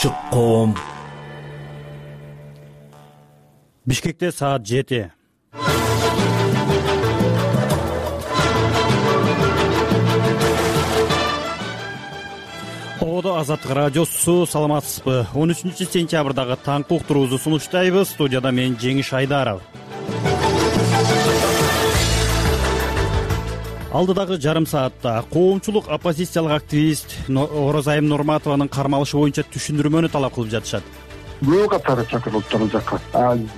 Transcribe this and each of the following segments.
Ачык коом. Бишкекте саат 7. Оодо Азаттык радиосу, саламатсызбы? 13-сентябрдагы таңкы уктуруубузду сунуштайбыз. Студияда мен Жеңиш Айдаров. Алдыдагы жарым саатта коомчулук оппозициялык активист Орозайым Нурматованын кармалышы боюнча түшүндүрмөнү талап кылып жатышат. Көп катары чакырылыптыр ал жакка.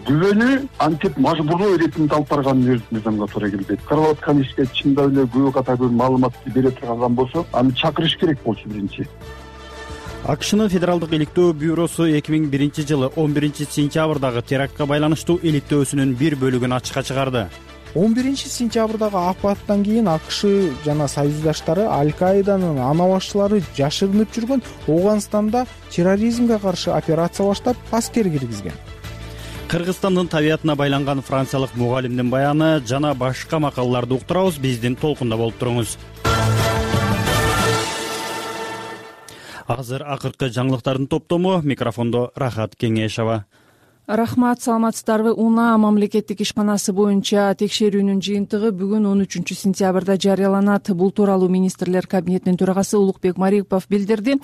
Күбөнү антип мажбурлуу иретинде алып барганын мыйзамга туура келбейт. Кырылып аткан ишке чындап эле көп катары маалыматты бере турган болсо, аны чакырыш керек болчу биринчи. АКШнын Федералдык иликтөө бюросу 2001-жылы 11-сентябрдагы терактка байланыштуу иликтөөсүнүн бир бөлүгүн ачыкка чыгарды. 11-сентябрдагы апаттан кийин АКШ жана союздаштары Аль-Каиданын ана башчылары жашырынып жүргөн Ооганстанда терроризмге каршы операция баштап, аскер киргизген. Кыргызстандын табиятына байланган франциялык мугалимдин баяны жана башка макалаларды уктурабыз. Биздин толкунда болуп туруңуз. Азыр акыркы жаңылыктардын топтому. Микрофондо Рахат Кеңешова. Рахмат, саламатсыздарбы? УНА мамлекеттик ишканасы боюнча текшерүүнүн жыйынтыгы бүгүн 13-сентябрда жарыяланат. Бул тууралуу министрлер кабинетинин төрагасы Улукбек Марипов билдирди.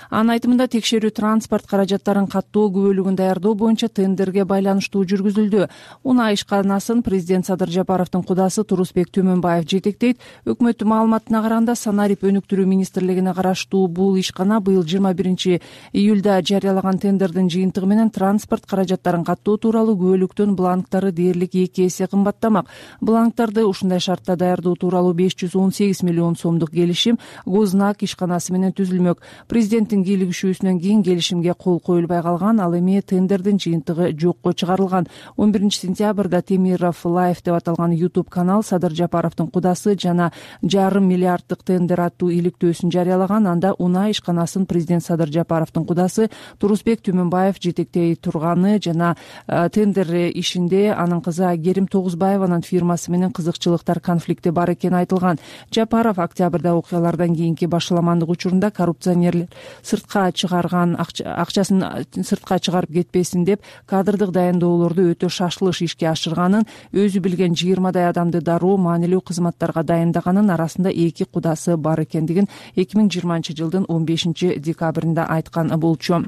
Анын айтымында текшерүү транспорт каражаттарын каттоо күбөлүгүн даярдоо боюнча тендерге байланыштуу жүргүзүлдү. УНА ишканасын президент Садыр Жапаровдун кудасы Турусбек Төмөнбаев жетектейт. Өкмөттүн маалыматына караганда санарип өнүктүрүү министрлигине караштуу бул ишкана быйыл 21-июлда жарыялаган тендердин жыйынтыгы менен транспорт каражаттарын каттоо тууралуу күбөлүктүн бланктары дээрлик 2 эсе кымбаттамак. Бланктарды ушундай шартта даярдоо тууралуу 518 миллион сомдук келишим Гознак ишканасы менен түзүлмөк. Президенттин кийлигишүүсүнөн кийин келишимге кол коюлбай калган, ал эми тендердин жыйынтыгы жокко чыгарылган. 11-сентябрда Темиров Лайф деп аталган YouTube канал Садыр Жапаровдун кудасы жана жарым миллиарддык тендер аттуу иликтөөсүн жарыялаган. Анда УНА ишканасын президент Садыр Жапаровдун кудасы Турусбек Төмөнбаев жетектей турганы жана тендер ишинде анын кызы Айгерим Тогузбаеванын фирмасы менен кызыкчылыктар конфликти бар экени айтылган. Жапаров октябрда окуялардан кийинки башаламандык учурунда коррупционерлер сыртка чыгарган акчасын сыртка чыгарып кетпесин деп кадрдык дайындоолорду өтө шашылыш ишке ашырганын, өзү билген 20дай адамды дароо маанилүү кызматтарга дайындаганын, арасында 2 кудасы бар экендигин 2020-жылдын 15-декабрында айткан болчу.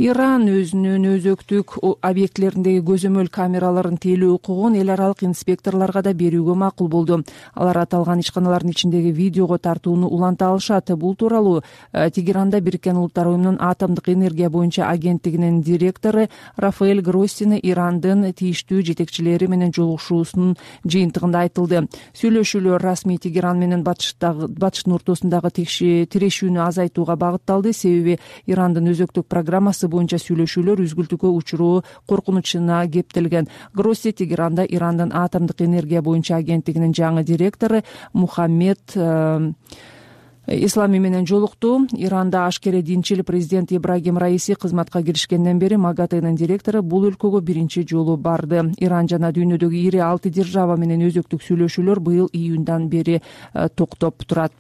Иран өзүнүн өзөктүк объектилериндеги көзөмөл камераларын тейлөө укугун эл аралык инспекторлорго да берүүгө макул болду. Алар аталган ишканалардын ичиндеги видеого тартууну уланта алышат. Бул тууралуу Тегеранда Бириккен Улуттар уюмунун атомдук энергия боюнча агенттигинин директору Рафаэль Гроссини Ирандын тийиштүү жетекчилери менен жолугушуусунун жыйынтыгында айтылды. Сүйлөшүүлөр расмий Тегеран менен батыштын ортосундагы тирешүүнү азайтууга багытталды. Себеби Ирандын өзөктүк программасы боюнча сүйлөшүүлөр үзгүлтүккө учуруу коркунучуна кептелген. Гросси Тегеранда Ирандын атомдук энергия боюнча агенттигинин жаңы директору Мухаммед Ислами менен жолукту. Иранда ашкере динчил президент Ибрагим Раиси кызматка киришкенден бери МАГАТЭнин директору бул өлкөгө биринчи жолу барды. Иран жана дүйнөдөгү ири 6 держава менен өзөктүк сүйлөшүүлөр быйыл июндан бери токтоп турат.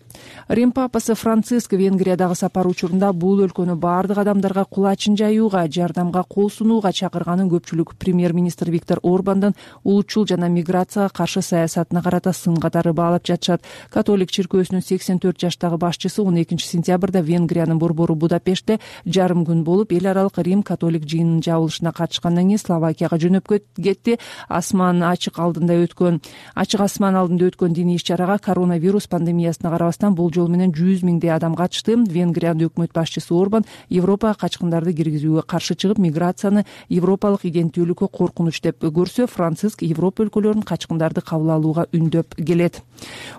Рим папасы Франциск Венгриядагы сапар учурунда бул өлкөнү баардык адамдарга кулачын жаюуга, жардамга кол сунууга чакырганын көпчүлүк премьер-министр Виктор Орбандын улутчул жана миграцияга каршы саясатына карата сын катары баалап жатышат. Католик чиркөөсүнүн 84 жаштагы башчысы 12-сентябрда Венгриянын борбору Будапештте жарым күн болуп, эл аралык Рим католик жыйынынын жабылышына катышкандан кийин Словакияга жөнөп кетти. Ачык асман алдында өткөн диний иш-чарага коронавирус пандемиясына карабастан болжол менен 100 миңдей адам катышты. Венгриянын өкмөт башчысы Орбан Европага качкындарды киргизүүгө каршы чыгып, миграцияны европалык иденттүүлүккө коркунуч деп көрсө, Франциск Европа өлкөлөрүнүн качкындарды кабыл алууга үндөп келет.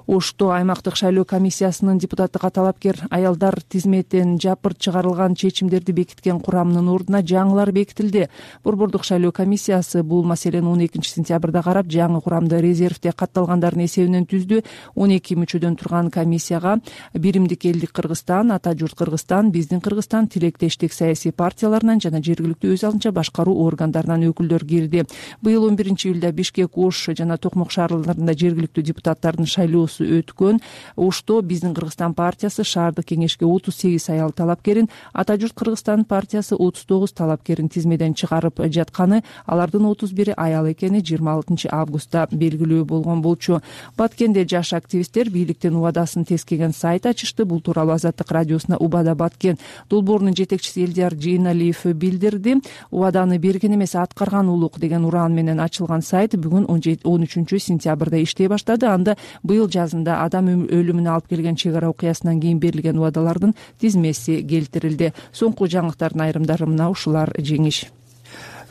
Ошто аймактык шайлоо комиссиясынын депутаттык талапкер аялдар тизметен жапырт чыгарылган чечимдерди бекиткен курамынын ордуна жаңылар бекитилди. Борбордук шайлоо комиссиясы бул маселени 12-сентябрда карап, жаңы курамды резервде катталгандардын эсебинен түздү. 12 мүчөдөн турган комиссия коалицияга Биримдик элдик Кыргызстан, Ата журт Кыргызстан, Биздин Кыргызстан, Тилектештик саясий партияларынан жана жергиликтүү өз алынча башкаруу органдарынан өкүлдөр кирди. Быйыл 11-июлда Бишкек, Ош жана Токмок шаарларында жергиликтүү депутаттардын шайлоосу өткөн. Ошто Биздин Кыргызстан партиясы шаардык кеңешке 38 аял талапкерин, Ата журт Кыргызстан партиясы 39 талапкерин тизмеден чыгарып жатканы, алардын 31 аял экени 26 августта белгилүү болгон болчу. Баткенде жаш активисттер бийликтин убадасын тескеген сайт ачышты. Бул тууралуу Азаттык радиосуна Убада Баткен долбоорунун жетекчиси Элдияр Жийналиев билдирди. Убаданы берген эмес, аткарган улук деген ураан менен ачылган сайт бүгүн 13-сентябрда иштей баштады. Анда быйыл жазында адам өлүмүнө алып келген чек ара окуясынан кийин берилген убадалардын тизмеси келтирилди. Соңку жаңылыктардын айрымдары мына ушулар. Жеңиш.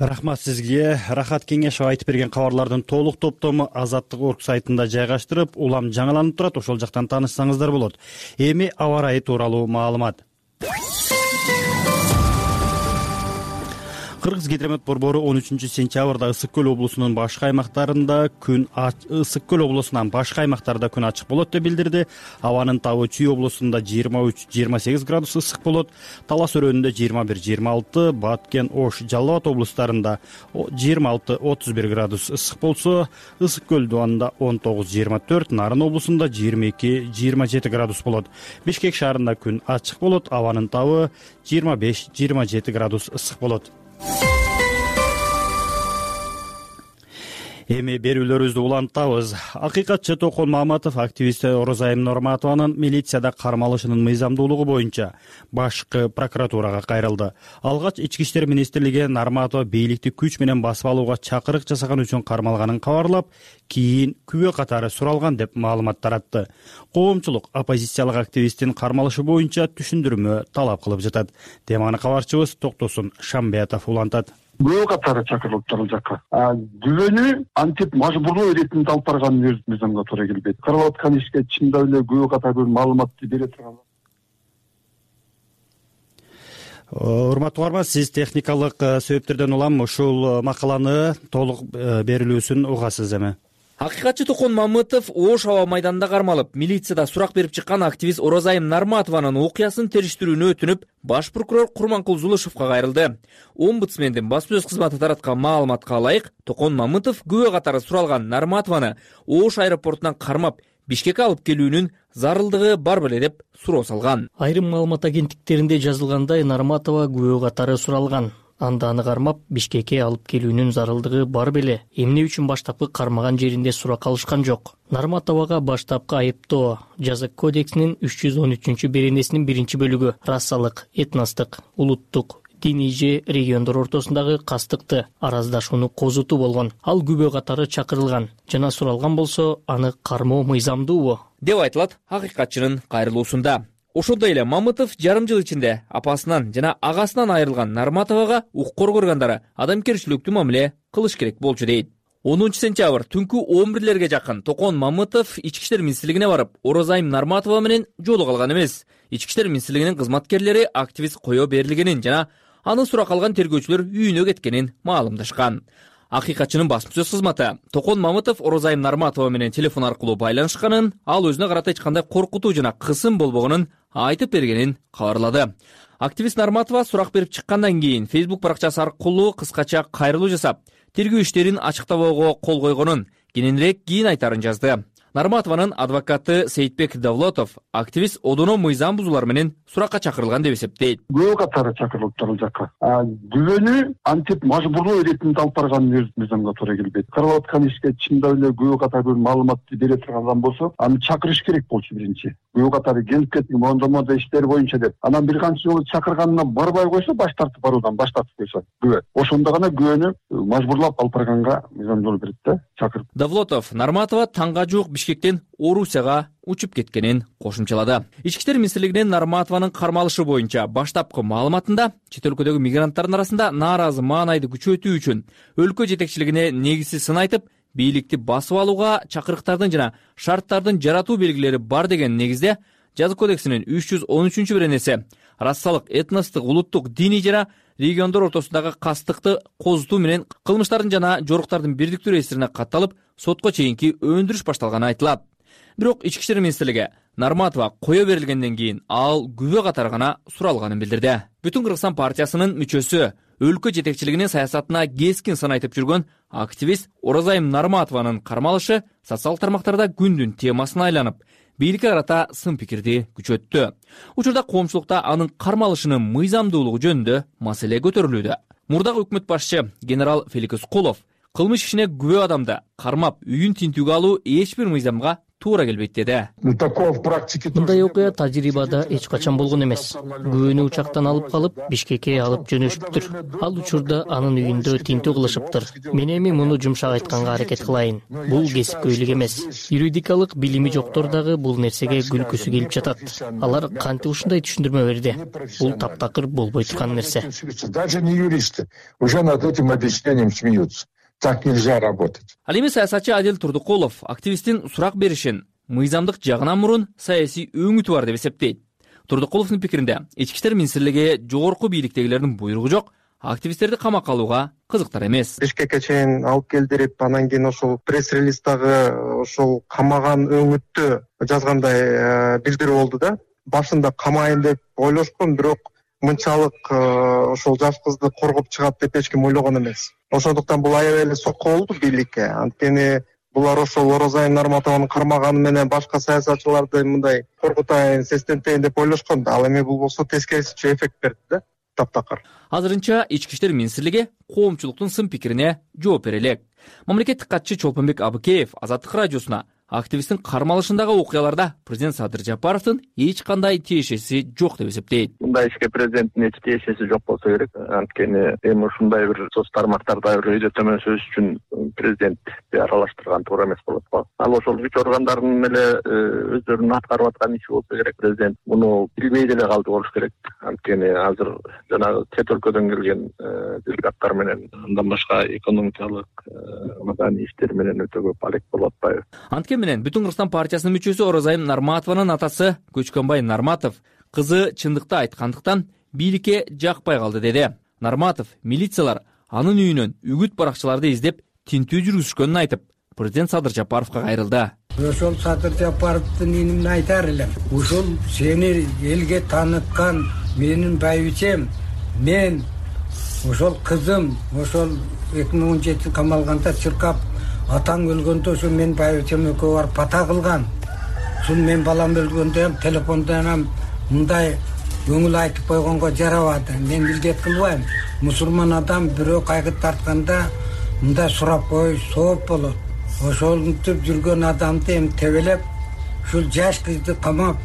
Рахмат сизге. Рахат Кеңешова айтып берген кабарлардын толук топтому Азаттык.org сайтында жайгаштырып, улам жаңыланып турат. Ошол жактан таанышсаңыздар болот. Эми аба ырайы тууралуу маалымат. Кыргыз-Гидромет борбору 13-сентябрда Ысык Көл облусунун башка аймактарында Ысык Көл облусунан башка аймактарда күн ачык болот деп билдирди. Абанын табы Чүй облусунда 23-28 градус ысык болот. Талас өрөөнүндө 21-26, Баткен, Ош, Жалал Абад облустарында 26-31 градус ысык болсо, Ысык Көл дубанында 19-24, Нарын облусунда 22-27 градус болот. Бишкек шаарында күн ачык болот. Абанын табы 25-27 градус ысык болот. Эми берүүлөрүбүздү улантабыз. Акыйкатчы Токон Маматов активист Орозайым Норматованын милицияда кармалышынын мыйзамдуулугу боюнча башкы прокуратурага кайрылды. Алгач Ички иштер министрлиги Норматова бийликти күч менен басып алууга чакырык жасаган үчүн кармалганын кабарлап, кийин күбө катары суралган деп маалымат таратты. Коомчулук оппозициялык активисттин кармалышы боюнча түшүндүрмө талап кылып жатат. Теманы кабарчыбыз Токтосун Шамбетов улантат. Күбө катары чакырылыптыр ал жакка. Күбөнү антип мажбурлоо иретинде алып барган мыйзамга туура келбейт. Кырып аткан ишке чындап эле күбө катары маалыматты бере турган. Урматтуу угарман, сиз техникалык себептерден улам ушул макаланы толук берилүүсүн угасыз эми. Акыйкатчы Токон Маматов Ош аба майданында кармалып, милицияда сурак берип чыккан активист Орозайым Норматованын окуясын териштирүүнү өтүнүп, баш прокурор Курманкул Зулушевго кайрылды. Омбудсмендин баспасөз кызматы тараткан маалыматка ылайык, Токон Маматов күбө катары суралган Норматованы Ош аэропортунан кармап, Бишкекке алып келүүнүн зарылдыгы бар беле деп суроо салган. Айрым маалымат агенттиктеринде жазылгандай, Норматова күбө катары суралган. Анда аны кармап, Бишкекке алып келүүнүн зарылдыгы бар беле. Эмне үчүн баштапкы кармаган жеринде сурак алышкан жок. Норматовага баштапкы айыптоо жаза кодексинин 313-беренесинин 1-бөлүгү расалык, этностук, улуттук, диний же региондор ортосундагы кастыкты, араздашууну козутуу болгон. Ал күбө катары чакырылган жана суралган болсо, аны кармоо мыйзамдуубу деп айтылат акыйкатчынын кайрылуусунда. Ошондой эле Маматов жарым жыл ичинде апасынан жана агасынан айрылган Норматовага укук органдары адамгерчиликтүү мамиле кылыш керек болчу дейт. 10-сентябрь түнкү 11-лерге жакын Токон Маматов Ички иштер министрлигине барып, Орозайым Норматова менен жолуга алган эмес. Ички иштер министрлигинин кызматкерлери активист кое берилгенин жана аны сурак алган тергөөчүлөр үйүнө кеткенин маалымдашкан. Акыйкатчынын баспасөз кызматы Токон Маматов Орозайым Норматова менен телефон аркылуу байланышканын, ал өзүнө карата эч кандай коркутуу жана кысым болбогонун айтып бергенин кабарлады. Активист Норматова сурак берип чыккандан кийин Facebook баракчасы аркылуу кыскача кайрылуу жасап, тергөө иштерин ачыктабоого кол койгонун кененирээк кийин айтарын жазды. Норматованын адвокаты Сейитбек Давлотов активист одоно мыйзам бузуулар менен суракка чакырылган деп эсептейт. Күбө катары чакырылыптыр ал жакка. Күбөнү антип мажбурлоо иретинде алып барган мыйзамга туура келбейт. Кырып аткан ишке чындап эле күбө катары маалыматты бере турган болсо, аны чакырыш керек болчу биринчи. Күбө катары келип кетти, мондо иштер боюнча деп. Анан бир канча жолу чакырганынан барбай койсо, баш тартып баруудан баш тартып койсо күбө. Ошондо гана күбөнү мажбурлап алып барганга мыйзамдуу берет да, чакырып. Давлотов Норматова таңга жуук Бишкектен Орусияга учуп кеткенин кошумчалады. Ички иштер министрлигинин Норматованын кармалышы боюнча баштапкы маалыматында чет өлкөдөгү мигранттардын арасында нааразы маанайды күчөтүү үчүн өлкө жетекчилигине негизсиз сын айтып, бийликти басып алууга чакырыктардын жана шарттардын жаратуу белгилери бар деген негизде жаза кодексинин 313-беренеси расалык, этностук, улуттук, диний жана региондор ортосундагы кастыкты козутуу менен кылмыштардын жана жоруктардын бирдиктүү реестрине катталып, сотко чейинки өндүрүш башталганы айтылат. Бирок Ички иштер министрлиги Нарматова кое берилгенден кийин ал күбө катары гана суралганын билдирди. Бүтүн Кыргызстан партиясынын мүчөсү, өлкө жетекчилигинин саясатына кескин сын айтып жүргөн активист Оразайым Нарматованын кармалышы социалдык тармактарда күндүн темасына айланып, бийликке карата сын пикирди күчөттү. Учурда коомчулукта анын кармалышынын мыйзамдуулугу жөнүндө маселе көтөрүлүүдө. Мурдагы өкмөт башчы генерал Феликс Кулов кылмыш ишине күбө адамды кармап, үйүн тинтүүгө алуу эч бир мыйзамга туура келбейт деди. Мындай окуя тажрыйбада эч качан болгон эмес. Күбөнү учактан алып калып, Бишкекке алып жөнөшүптүр. Ал учурда анын үйүндө тинтүү кылышыптыр. Мен эми муну жумшак айтканга аракет кылайын. Бул кесипкөйлүк эмес. Юридикалык билими жоктор дагы бул нерсеге күлкүсү келип жатат. Алар кантип ушундай түшүндүрмө берди? Бул таптакыр болбой турган нерсе. Даже не юристы уже над этим объяснением смеются. Так нельзя работать. Ал эми саясатчы Адил Турдукулов активисттин сурак беришин мыйзамдык жагынан мурун саясий өңүтү бар деп эсептейт. Турдукуловдун пикиринде, ички иштер министрлиги жогорку бийликтегилердин буйругу жок, активисттерди камакка алууга кызыктар эмес. Бишкекке чейин алып келдирип, анан кийин ошол пресс-релиздагы ошол камаган өңүттү жазгандай билдирүү болду да. Башында камайын деп ойлошкон, бирок мынчалык ошол жаш кызды коргоп чыгат деп эч ким ойлогон эмес. Ошондуктан бул аябай эле сокко болду бийликке. Анткени булар ошол Оразайым Нарматованы кармаганы менен башка саясатчыларды мындай коркутайын, сестентейин деп ойлошкон да. Ал эми бул болсо тескерисинче эффект берди да, таптакыр. Азырынча ички иштер министрлиги коомчулуктун сын пикирине жооп бере элек. Мамлекеттик катчы Чолпонбек Абыкеев Азаттык радиосуна активисттин кармалышындагы окуяларда президент Садыр Жапаровдун эч кандай тиешеси жок деп эсептейт. Мындай ишке президенттин эч тиешеси жок болсо керек. Анткени эми ушундай бир соц тармактарда бир өйдө төмөн сөз үчүн президентти аралаштырган туура эмес болот го. Ал ошол күч органдарынын эле өздөрүнүн аткарып аткан иши болсо керек. Президент муну билбей деле калды болуш керек. Анткени азыр жанагы чет өлкөдөн келген делегаттар менен андан башка экономикалык, маданий иштер менен өтө көп алек болуп атпайбы? Менен Бүтүн Кыргызстан партиясынын мүчөсү Оразайым Нарматованын атасы Көчкөнбай Нарматов кызы чындыкты айткандыктан бийликке жакпай калды деди. Нарматов милициялар анын үйүнөн үгүт баракчыларды издеп тинтүү жүргүзүшкөнүн айтып, президент Садыр Жапаровго кайрылды. Ошол Садыр Жапаровдун инимин айтар элем. Ушул сени элге тааныткан менин байбичем, мен ошол кызым ошол 2017 камалганда чыркап атаң өлгөндө ошо мен байбичем экөө барып бата кылган. Ушул мен балам өлгөндө ham телефондон ham мындай көңүл айтып койгонго жарабады. Мен билгет кылбайм. Мусулман адам бирөө кайгы тартканда мындай сурап кой, сооп болот. Ошентип жүргөн адамды эми тебелеп, ушул жаш кызды камап,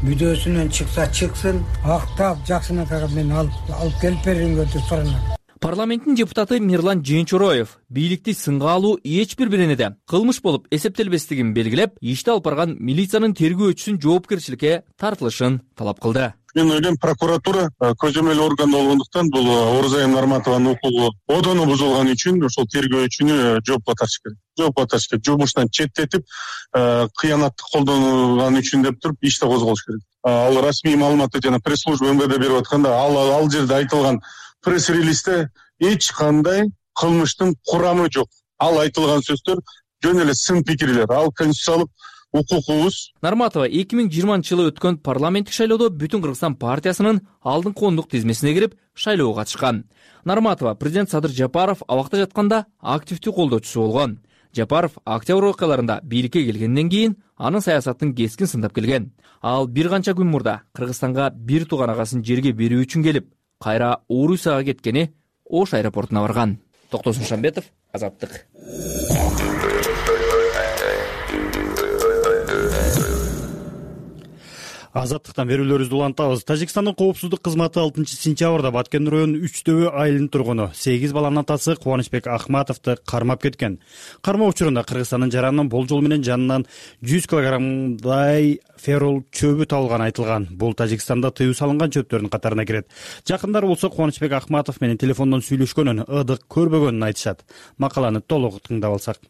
мүдөөсүнөн чыкса чыксын, актап жакшынакайга мен алып келип бериңер деп суранат. Парламенттин депутаты Мирлан Жээнчороев бийликти сынга алуу эч бир беренеде кылмыш болуп эсептелбестигин белгилеп, ишти алып барган милициянын тергөөчүсүн жоопкерчиликке тартылышын талап кылды. Мен ойлойм, прокуратура көзөмөл орган болгондуктан бул Оразайым Нарматованын укугу одону бузулган үчүн ошол тергөөчүнү жоопко тартыш керек. Жоопко тартыш керек. Жумуштан четтетип, кыянатты колдонган үчүн деп туруп ишти козголуш керек. Ал расмий маалыматты жана пресс-служба МВД берип атканда, ал жерде айтылган пресс-релизде эч кандай кылмыштын курамы жок. Ал айтылган сөздөр жөн эле сын пикирлер. Ал конституциялык укугубуз. Нарматова 2020-жылы өткөн парламенттик шайлоодо Бүтүн Кыргызстан партиясынын алдыңкы ондук тизмесине кирип, шайлоого катышкан. Нарматова президент Садыр Жапаров абакта жатканда активдүү колдоочусу болгон. Жапаров октябрь окуяларында бийликке келгенден кийин анын саясатын кескин сындап келген. Ал бир канча күн мурда Кыргызстанга бир тууган агасын жерге берүү үчүн келип, кайра Орусияга кеткени Ош аэропортуна барган. Токтосун Шамбетов, Азаттык. Азаттыктан берүүлөрүбүздү улантабыз. Тажикстандын коопсуздук кызматы 6-сентябрда Баткен районунун 3 айылынын тургуну 8 баланын атасы Кубанычбек Ахматовду кармап кеткен. Кармоо учурунда Кыргызстандын жаранынан болжол менен жанынан 100 килограммдай ферол чөбү табылганы айтылган. Бул Тажикстанда тыюу салынган чөптөрдүн катарына кирет. Жакындары болсо Кубанычбек Ахматов менен телефондон сүйлөшкөнүн, ыдык көрбөгөнүн айтышат. Макаланы толук тыңдап алсак.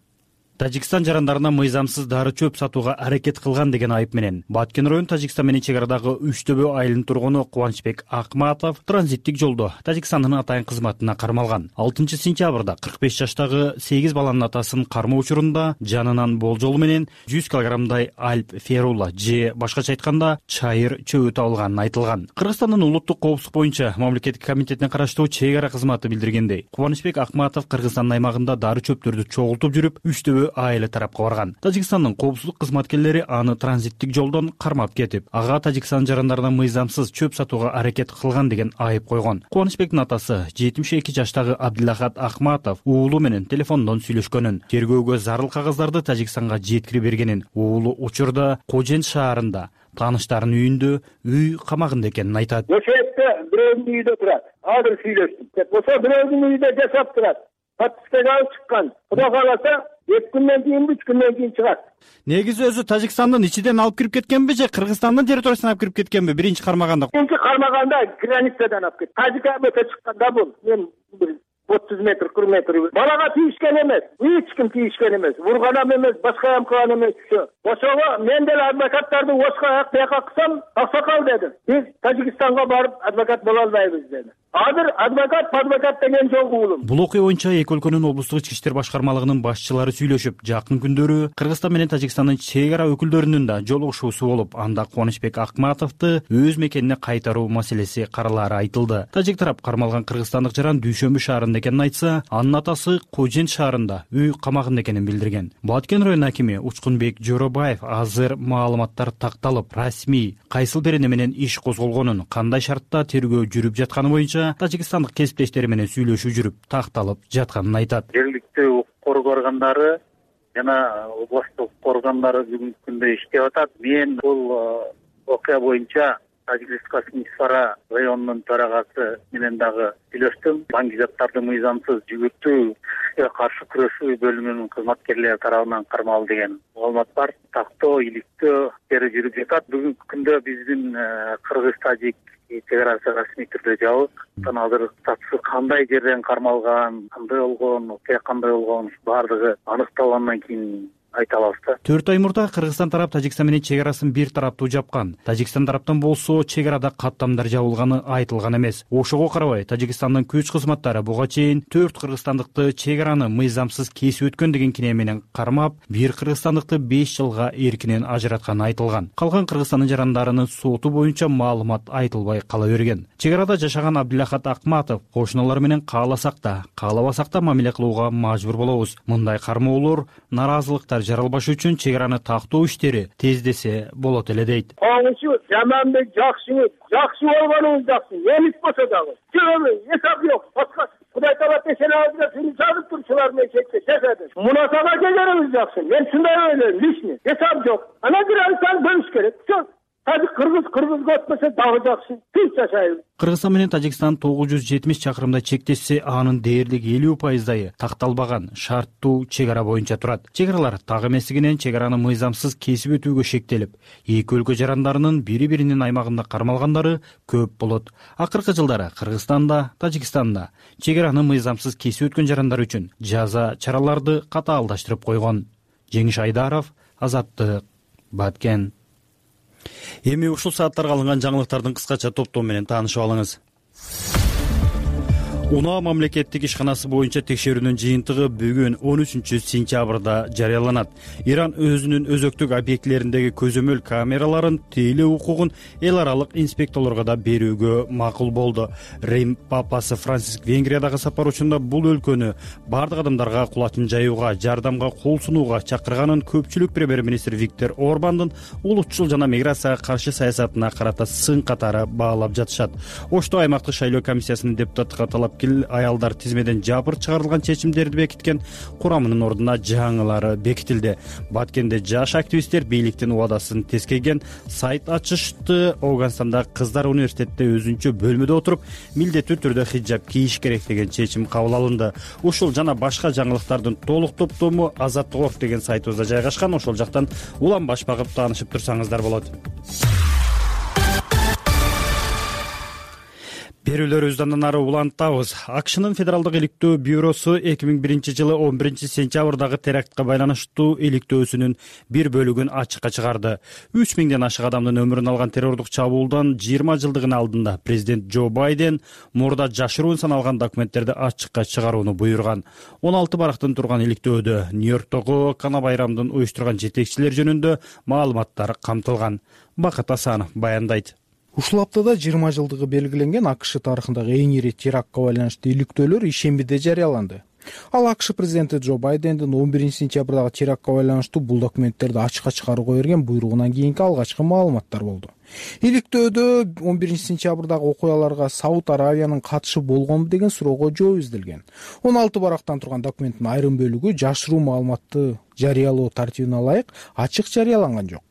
Тажикстан жарандарына мыйзамсыз дары чөп сатууга аракет кылган деген айып менен Баткен району Тажикстан менен чек арадагы Үчтөбө айылынын тургуну Кубанычбек Акматов транзиттик жолдо Тажикстандын атайын кызматына кармалган. 6 сентябрда 45 жаштагы 8 баланын атасын кармоо учурунда жанынан болжолу менен 100 килограммдай альп ферула же башкача айтканда чайыр чөбү табылганын айтылган. Кыргызстандын улуттук коопсуздук боюнча мамлекеттик комитетине караштуу чек ара кызматы билдиргендей, Кубанычбек Акматов Кыргызстандын аймагында дары чөптөрдү чогултуп жүрүп Үчтөбө айылы тарапка барган. Тажикстандын коопсуздук кызматкерлери аны транзиттик жолдон кармап кетип, ага Тажикстан жарандарына мыйзамсыз чөп сатууга аракет кылган деген айып койгон. Кубанычбектин атасы 72 жаштагы Абдилахат Акматов уулу менен телефондон сүйлөшкөнүн, тергөөгө зарыл кагаздарды Тажикстанга жеткирип бергенин, уулу учурда Кожен шаарында тааныштарынын үйүндө үй камагында экенин айтат. Ошол жерде бирөөнүн үйүндө турат. Азыр сүйлөштүк. Ошо бирөөнүн үйүндө жашап турат. Подпискага алып чыккан. Кудай кааласа 2 күндөн кийин 3 күндөн кийин чыгат. Негизи өзү Тажикстандын ичинен алып кирип кеткенби же Кыргызстандын территориясына алып кирип кеткенби? Биринчи кармаганда. Биринчи кармаганда границадан алып кетти. Тажикка өтө чыкканда бул мен 30 метр, 40 метр. Балага тийишкен эмес. Эч ким тийишкен эмес. Вурганам эмес, башка кылган эмес. Ошого мен деле адвокаттарды ошко аяк кылсам, аксакал дедим. Биз Тажикстанга барып адвокат боло албайбыз деди. Азыр адвокат деген жок уулум. Бул окуя боюнча эки өлкөнүн облустук ички иштер башкармалыгынын башчылары сүйлөшүп, жакын күндөрү Кыргызстан менен Тажикстандын чек ара өкүлдөрүнүн да жолугушуусу болуп, анда Кубанычбек Акматовду өз мекенине кайтаруу маселеси каралаары айтылды. Тажик тарап кармалган кыргызстандык жаран Дүйшөмбү шаарында экенин айтса, анын атасы Кожен шаарында үй камагында экенин билдирген. Баткен районунун акими Учкунбек Жоробаев азыр маалыматтар такталып, расмий кайсыл берене менен иш козголгонун, кандай шартта тергөө жүрүп жатканы боюнча тажикстандык кесиптештери менен сүйлөшүү жүрүп, такталып жатканын айтат. Жергиликтүү укук органдары жана областтык укук органдары бүгүнкү күндө иштеп атат. Мен бул окуя боюнча Тажик Республикасынын Ичфара районунун төрагасы менен дагы сүйлөштүм. Баңгизаттарды мыйзамсыз жүгүртүүгө каршы күрөшүү бөлүмүнүн кызматкерлери тарабынан кармалды деген маалымат бар. Тактоо, иликтөө иштери жүрүп жатат. Бүгүнкү күндө биздин кыргыз-тажик чек арасы расмий түрдө жабык. Азыр статусу кандай жерден кармалган, кандай болгон, окуя кандай болгон, баардыгы аныкталгандан кийин айта алабыз да. 4 ай мурда Кыргызстан тарап Тажикстан менен чек арасын бир тараптуу жапкан. Тажикстан тараптан болсо чек арада каттамдар жабылганы айтылган эмес. Ошого карабай Тажикстандын күч кызматтары буга чейин 4 кыргызстандыкты чек араны мыйзамсыз кесип өткөн деген кине менен кармап, бир кыргызстандыкты 5 жылга эркинен ажыратканы айтылган. Калган Кыргызстандын жарандарынын соту боюнча маалымат айтылбай кала берген. Чек арада жашаган Абдилахат Акматов кошуналар менен кааласак да, каалабасак да мамиле кылууга мажбур болобуз. Мындай кармоолор, наразылыктар жаралбаш үчүн чек араны тактоо иштери тездесе болот эле дейт. Коңушу жаманбек жакшы болгонуңуз жакшы, эмес болсо дагы. Себеби эсап жок. Кудай таала пешенабызга сени жазып турчулар менен жашады. Мунасага келерибиз жакшы. Мен ушундай ойлойм, лишний. Эсап жок. Ана границаны бөлүш керек. Тажик кыргызга өтмөсө дагы жакшы. Тынч жашайбыз. Кыргызстан менен Тажикстан 970 чакырымдай чектешсе, анын дээрлик 50% такталбаган шарттуу чек ара боюнча турат. Чек аралар так эместигинен чек араны мыйзамсыз кесип өтүүгө шектелип, эки өлкө жарандарынын бири-биринин аймагында кармалгандары көп болот. Акыркы жылдары Кыргызстанда, Тажикстанда чек араны мыйзамсыз кесип өткөн жарандар үчүн жаза чараларды катаалдаштырып койгон. Жеңиш Айдаров, Азаттык, Баткен. Эми ушул сааттарга алынган жаңылыктардын кыскача топтому менен таанышып алыңыз. УНА мамлекеттик ишканасы боюнча текшерүүнүн жыйынтыгы бүгүн 13 сентябрда жарыяланат. Иран өзүнүн өзөктүк объектилериндеги көзөмөл камераларын тейлөө укугун эл аралык инспекторлорго да берүүгө макул болду. Рим папасы Франциск Венгриядагы сапар учурунда бул өлкөнү бардык адамдарга кулачын жаюуга, жардамга кол сунууга чакырганын көпчүлүк премьер-министр Виктор Орбандын улутчул жана миграцияга каршы саясатына карата сын катары баалап жатышат. Ошто аймактык шайлоо комиссиясынын депутаттыкка талап аялдар тизмеден жапыр чыгарылган чечимдерди бекиткен курамынын ордуна жаңылары бекитилди. Баткенде жаш активисттер бийликтин убадасын тескейген сайт ачышты. Афганстанда кыздар университетте өзүнчө бөлмөдө отуруп, милдеттүү түрдө хиджаб кийиш керек деген чечим кабыл алынды. Ушул жана башка жаңылыктардын толук топтому Азаттык деген сайтыбызда жайгашкан. Ошол жактан улам баш багып таанышып турсаңыздар болот. берүүлөрүбүздү андан ары улантабыз. АКШнын Федералдык иликтөө бюросу 2001-жылы 11-сентябрдагы терактка байланыштуу иликтөөсүнүн бир бөлүгүн ачыкка чыгарды. 3000ден ашык адамдын өмүрүн алган террордук чабуулдан 20 жылдыгынын алдында президент Джо Байден мурда жашыруун саналган документтерди ачыкка чыгарууну буйруган. 16 барактан турган иликтөөдө Нью-Йорктогу Кана байрамдын уюштурган жетекчилер жөнүндө маалыматтар камтылган. Бакыт Асанов баяндайт. Ушул аптада 20 жылдыгы белгиленген АКШ тарыхындагы эң ири терактка байланыштуу иликтөөлөр ишембиде жарыяланды. Ал АКШ президенти Джо Байдендин 11-сентябрдагы терактка байланыштуу бул документтерди ачыкка чыгарууга берген буйругунан кийинки алгачкы маалыматтар болду. Иликтөөдө 11-сентябрдагы окуяларга Сауд Аравиянын катышы болгонбу деген суроого жооп изделген. 16 барактан турган документтин айрым бөлүгү жашыруу маалыматты жарыялоо тартибине ылайык ачык жарыяланган жок.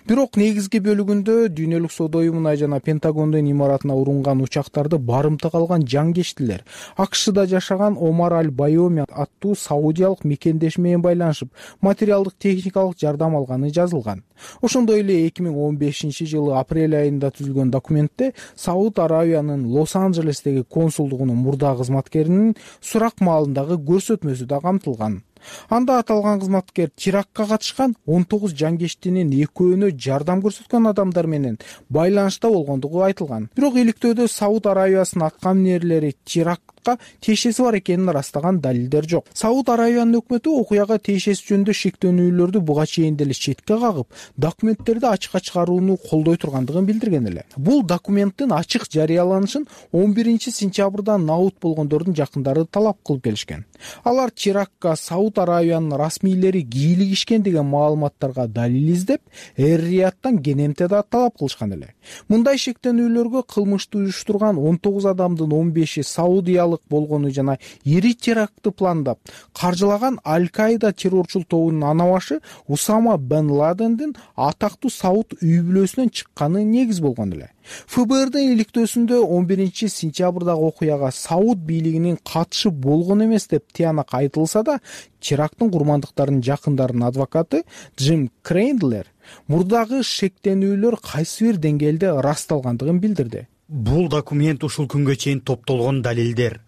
Бирок негизги бөлүгүндө Дүйнөлүк соода уюмуна жана Пентагондун имаратына урунган учактарды барымтага алган жангечтилер АКШда жашаган Омар Аль-Байоми аттуу саудиялык мекендеши менен байланышып, материалдык техникалык жардам алганы жазылган. Ошондой эле 2015-жылы апрель айында түзүлгөн документте Сауд Аравиянын Лос-Анджелестеги консулдугунун мурдагы кызматкеринин сурак маалындагы көрсөтмөсү да камтылган. Анда аталган кызматкер терактка катышкан 19 жангечтинин экөөнө жардам көрсөткөн адамдар менен байланышта болгондугу айтылган. Бирок иликтөөдө Сауд Аравиясынын аткаминерлери терактка тиешеси бар экенин ырастаган далилдер жок. Сауд Аравиянын өкмөтү окуяга тиешеси жөнүндө шектөөнүүлөрдү буга чейин деле четке кагып, документтерди ачыкка чыгарууну колдой тургандыгын билдирген эле. Бул документтин ачык жарыяланышын 11-сентябрда наут болгондордун жакындары талап кылып келишкен. Алар терактка Сауд Аравиянын расмийлери кийлигишкен деген маалыматтарга далил издеп, Эр-Рияттан кенемте да талап кылышкан эле. Мындай шектөөнүүлөргө кылмышты уюштурган 19 адамдын 15и саудиялык болгону жана ири терактты пландап, каржылаган Аль-Каида террорчул тобунун ана башы Усама бен Ладендин атактуу Сауд үй бүлөсүнөн чыкканы негиз болгон эле. ФБРдын иликтөөсүндө 11-сентябрдагы окуяга Сауд бийлигинин катышы болгон эмес деп тыянак айтылса да, теракттын курмандыктарынын жакындарынын адвокаты Джим Крейндлер мурдагы шектенүүлөр кайсы бир деңгээлде ырасталгандыгын билдирди. Бул документ ушул күнгө чейин топтолгон далилдер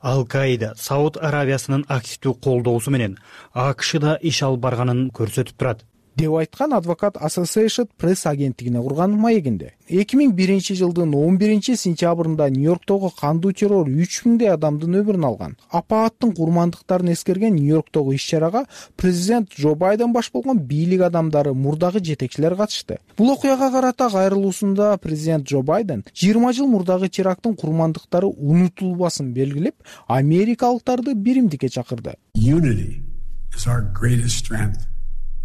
Аль-Каида Сауд Аравиясынын активдүү колдоосу менен АКШда иш алып барганын көрсөтүп турат, деп айткан адвокат Associated Press агенттигине курган маегинде. 2001-жылдын 11-сентябрында Нью-Йорктогу кандуу террор 3000 адамдын өмүрүн алган. Апааттын курмандыктарын эскерген Нью-Йорктогу иш-чарага президент Джо Байден баш болгон бийлик адамдары, мурдагы жетекчилер катышты. Бул окуяга карата кайрылуусунда президент Джо Байден 20 жыл мурдагы теракттын курмандыктары унутулбасын белгилеп, америкалыктарды биримдикке чакырды.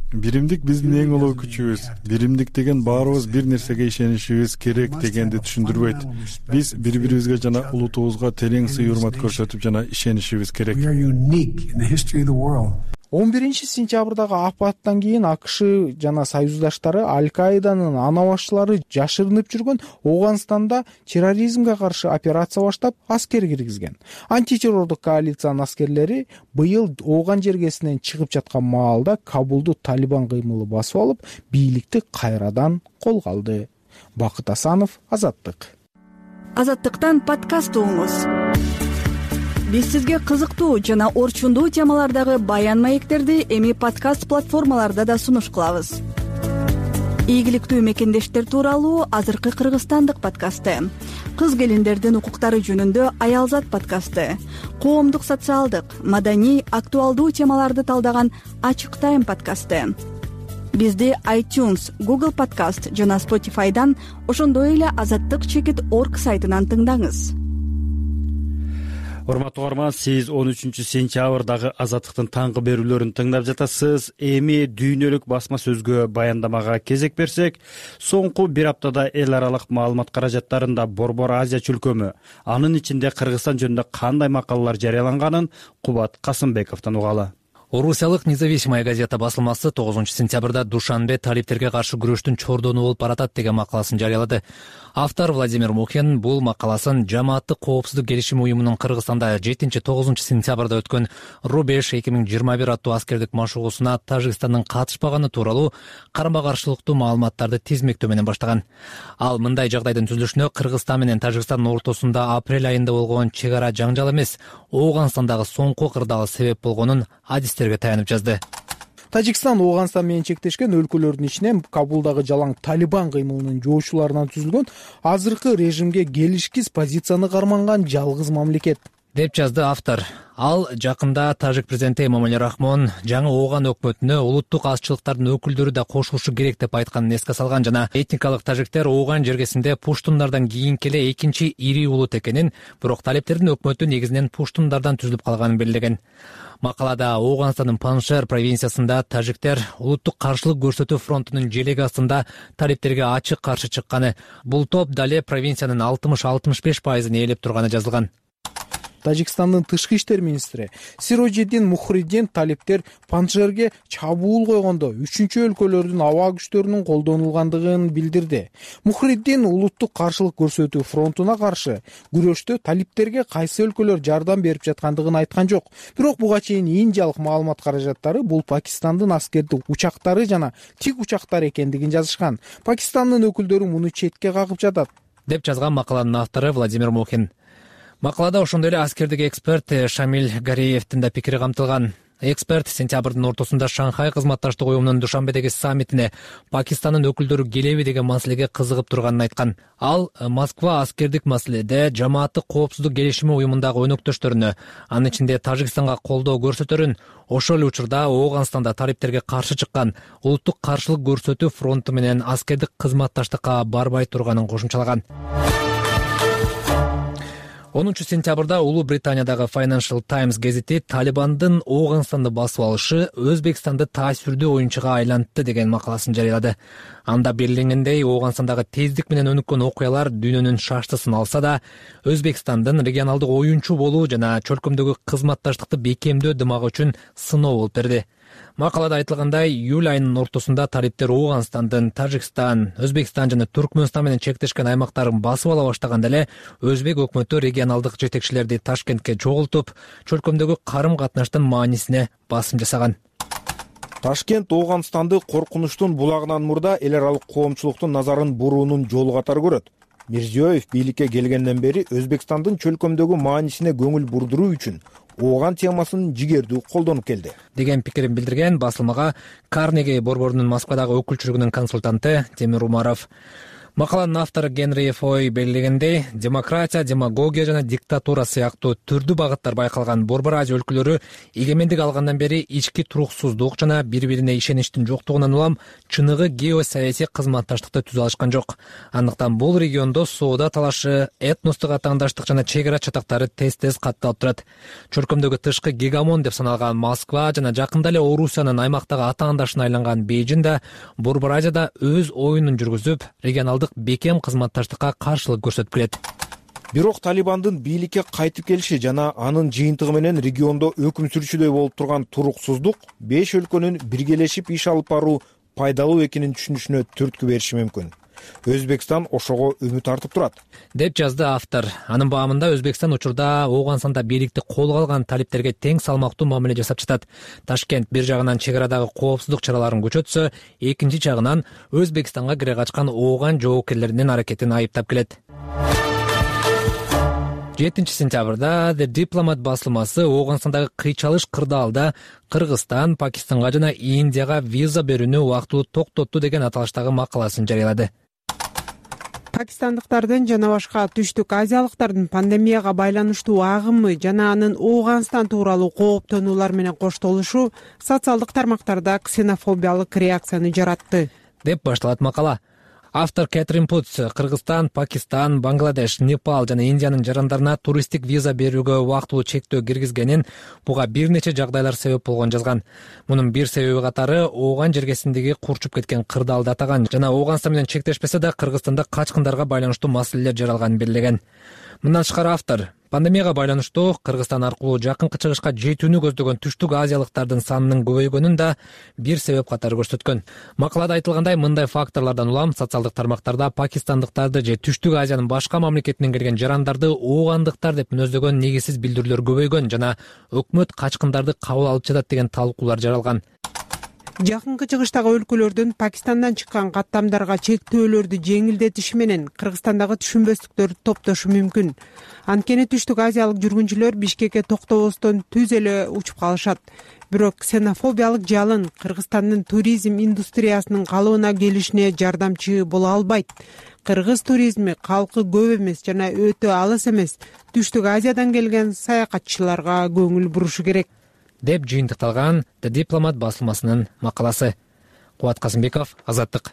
Биримдик биздин эң улуу күчүбүз. Биримдик деген баарыбыз бир нерсеге ишенишибиз керек дегенди түшүндүрбөйт. Биз бири-бирибизге жана улутубузга терең сый-урмат көрсөтүп жана ишенишибиз керек. 11-сентябрдагы апаттан кийин АКШ жана союздаштары Аль-Каиданын ана башчылары жашырынып жүргөн Оганстанда терроризмге каршы операция баштап, аскер киргизген. Антитеррордук коалициянын аскерлери быйыл Оган жергесинен чыгып жаткан маалда Кабулду Талибан кыймылы басып алып, бийликти кайрадан колго алды. Бакыт Асанов, Азаттык. Азаттыктан подкаст угуңуз. Биз сизге кызыктуу жана орчундуу темалардагы баян маектерди эми подкаст платформаларда да сунуш кылабыз. Ийгиликтүү мекендештер тууралуу азыркы кыргызстандык подкасты, кыз келиндердин укуктары жөнүндө Аялзат подкасты, коомдук социалдык, маданий, актуалдуу темаларды талдаган Ачык Тайм подкасты. Бизди iTunes, Google Podcast жана Spotify'дан, ошондой эле azattik.org сайтынан тыңдаңыз. Урматтуу угарман, сиз 13-сентябрдагы Азаттыктын таңкы берүүлөрүн тыңдап жатасыз. Эми дүйнөлүк басма сөзгө баяндамага кезек берсек, соңку бир аптада эл аралык маалымат каражаттарында Борбор Азия чөлкөмү, анын ичинде Кыргызстан жөнүндө кандай макалалар жарыяланганын Кубат Касымбековдон угалы. Орусиялык Независимая газета басылмасы 9-сентябрда Душанбе талиптерге каршы күрөштүн чордону болуп баратат деген макаласын жарыялады. Автор Владимир Мухин бул макаласын Жамааттык коопсуздук келишими уюмунун Кыргызстанда 7-9 сентябрда өткөн Рубеж 2021 аттуу аскердик машыгуусуна Тажикстандын катышпаганы тууралуу карама каршылыктуу маалыматтарды тизмектөө менен баштаган. Ал мындай жагдайдын түзүлүшүнө Кыргызстан менен Тажикстандын ортосунда апрель айында болгон чек ара жаңжал эмес, Ооганстандагы соңку кырдаал себеп болгонун адистерге таянып жазды. Тажикстан Ооганстан менен чектешкен өлкөлөрдүн ичинен Кабулдагы жалаң Талибан кыймылынын жоочуларынан түзүлгөн азыркы режимге келишкиз позицияны карманган жалгыз мамлекет, деп жазды автор. Ал жакында тажик президенти Эмомали Рахмон жаңы Ооган өкмөтүнө улуттук азчылыктардын өкүлдөрү да кошулушу керек деп айтканын эске салган жана этникалык тажиктер Ооган жергесинде пуштундардан кийинки эле экинчи ири улут экенин, бирок талиптердин өкмөтү негизинен пуштундардан түзүлүп калганын белгилеген. Макалада Ооганстандын Паншер провинциясында тажиктер улуттук каршылык көрсөтүү фронтунун желеги астында талиптерге ачык каршы чыкканы, бул топ дале провинциянын 60-65% ээлеп турганы жазылган. Тажикстандын тышкы иштер министри Сироджиддин Мухриддин талиптер Паншерге чабуул койгондо үчүнчү өлкөлөрдүн аба күчтөрүнүн колдонулгандыгын билдирди. Мухриддин улуттук каршылык көрсөтүү фронтуна каршы күрөштө талиптерге кайсы өлкөлөр жардам берип жаткандыгын айткан жок. Бирок буга чейин Индиялык маалымат каражаттары бул Пакистандын аскердик учактары жана тик учактар экендигин жазышкан. Пакистандын өкүлдөрү муну четке кагып жатат, деп жазган макаланын автору Владимир Мухин. Макалада ошондой эле аскердик эксперт Шамиль Гареевдин да пикири камтылган. Эксперт сентябрдын ортосунда Шанхай кызматташтык уюмунун Душанбедеги саммитине Пакистандын өкүлдөрү келеби деген маселеге кызыгып турганын айткан. Ал Москва аскердик маселеде Жамааттык коопсуздук келишими уюмундагы өнөктөштөрүнө, анын ичинде Тажикстанга колдоо көрсөтөрүн, ошол эле учурда Ооганстанда талиптерге каршы чыккан улуттук каршылык көрсөтүү фронту менен аскердик кызматташтыкка барбай турганын кошумчалаган. 10-сентябрда Улуу Британиядагы Financial Times гезити Талибандын Ооганстанды басып алышы Өзбекстанды таасирдүү оюнчуга айлантты деген макаласын жарыялады. Анда белгиленгендей, Ооганстандагы тездик менен өнүккөн окуялар дүйнөнүн шаштысын алса да, Өзбекстандын регионалдык оюнчу болуу жана чөлкөмдөгү кызматташтыкты бекемдөө дымагы үчүн сыноо болуп берди. Макалада айтылгандай, июль айынын ортосунда талиптер Ооганстандын Тажикстан, Өзбекстан жана Түркмөнстан менен чектешкен аймактарын басып ала баштаганда эле Өзбек өкмөтү регионалдык жетекчилерди Ташкентке чогултуп, чөлкөмдөгү карым-катнаштын маанисине басым жасаган. Ташкент Ооганстанды коркунучтун булагынан мурда эл аралык коомчулуктун назарын буруунун жолу катары көрөт. Мирзиёев бийликке келгенден бери Өзбекстандын чөлкөмдөгү маанисине көңүл бурдуруу үчүн Ооган темасын жигердүү колдонуп келди, деген пикирин билдирген басылмага Карнеги борборунун Москвадагы өкүлчүлүгүнүн консультанты Темир Умаров. Макаланын автору Генри Фой белгилегендей, демократия, демагогия жана диктатура сыяктуу түрдүү багыттар байкалган Борбор Азия өлкөлөрү эгемендик алгандан бери ички туруксуздук жана бири-бирине ишеничтин жоктугунан улам чыныгы геосаясий кызматташтыкты түзө алышкан жок. Андыктан бул региондо соода талашы, этностук атаандаштык жана чек ара чатактары тез-тез катталып турат. Чөлкөмдөгү тышкы гегемон деп саналган Москва жана жакында эле Орусиянын аймактагы атаандашына айланган Бейжин да Борбор Азияда өз оюнун жүргүзүп, регионалдык бекем кызматташтыкка каршылык көрсөтүп келет. Бирок Талибандын бийликке кайтып келиши жана анын жыйынтыгы менен региондо өкүм сүрүүчүдөй болуп турган туруксуздук 5 өлкөнүн биргелешип иш алып баруу пайдалуу экенин түшүнүшүнө түрткү бериши мүмкүн. Өзбекстан ошого үмүт артып турат, деп жазды автор. Анын баамында Өзбекстан учурда Ооганстанда бийликти колго алган талиптерге тең салмактуу мамиле жасап жатат. Ташкент бир жагынан чек арадагы коопсуздук чараларын күчөтсө, экинчи жагынан Өзбекстанга кире качкан Ооган жоокерлеринин аракетин айыптап келет. 7-сентябрда The Diplomat басылмасы Ооганстандагы кыйчалыш кырдаалда Кыргызстан, Пакистанга жана Индияга виза берүүнү убактылуу токтотту деген аталыштагы макаласын жарыялады. Пакистандыктардын жана башка түштүк азиялыктардын пандемияга байланыштуу агымы жана анын Ооганстан тууралуу кооптонуулар менен коштолушу социалдык тармактарда ксенофобиялык реакцияны жаратты, деп башталат макала. Автор Кэтрин Путс Кыргызстан, Пакистан, Бангладеш, Непал жана Индиянын жарандарына туристтик виза берүүгө убактылуу чектөө киргизгенин, буга бир нече жагдайлар себеп болгонун жазган. Мунун бир себеби катары Ооган жергесиндеги курчуп кеткен кырдаалды атаган жана Ооганстан менен чектешпесе да Кыргызстанда качкындарга байланыштуу маселелер жаралганын белгилеген. Мындан тышкары автор Пандемияга байланыштуу Кыргызстан аркылуу жакынкы чыгышка жетүүнү көздөгөн түштүк азиялыктардын санынын көбөйгөнүн да бир себеп катары көрсөткөн. Макалада айтылгандай, мындай факторлордон улам социалдык тармактарда пакистандыктарды же түштүк Азиянын башка мамлекетинен келген жарандарды оогандыктар деп мүнөздөгөн негизсиз билдирүүлөр көбөйгөн жана өкмөт качкындарды кабыл алып жатат деген талкуулар жаралган. Жакынкы чыгыштагы өлкөлөрдүн Пакистандан чыккан каттамдарга чектөөлөрдү жеңилдетиши менен Кыргызстандагы түшүнбөстүктөр топтошу мүмкүн. Анткени түштүк азиялык жүргүнчүлөр Бишкекке токтобостон түз эле учуп калышат. Бирок ксенофобиялык жалын Кыргызстандын туризм индустриясынын калыбына келишине жардамчы боло албайт. Кыргыз туризми калкы көп эмес жана өтө алыс эмес түштүк Азиядан келген саякатчыларга көңүл бурушу керек, деп жыйынтыкталган The Diplomat басылмасынын макаласы. Кубат Касымбеков, Азаттык.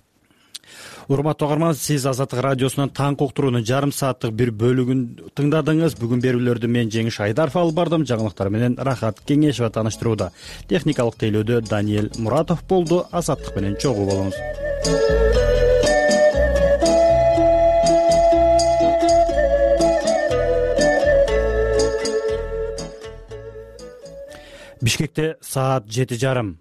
Урматтуу угарман, сиз Азаттык радиосунун таңкы уктуруунун жарым сааттык бир бөлүгүн тыңдадыңыз. Бүгүн берүүлөрдү мен Жеңиш Айдаров алып бардым. Жаңылыктар менен Рахат Кеңешова тааныштырууда. Техникалык тейлөөдө Даниэль Муратов болду. Азаттык менен чогуу болуңуз. Бишкекте саат 7:30.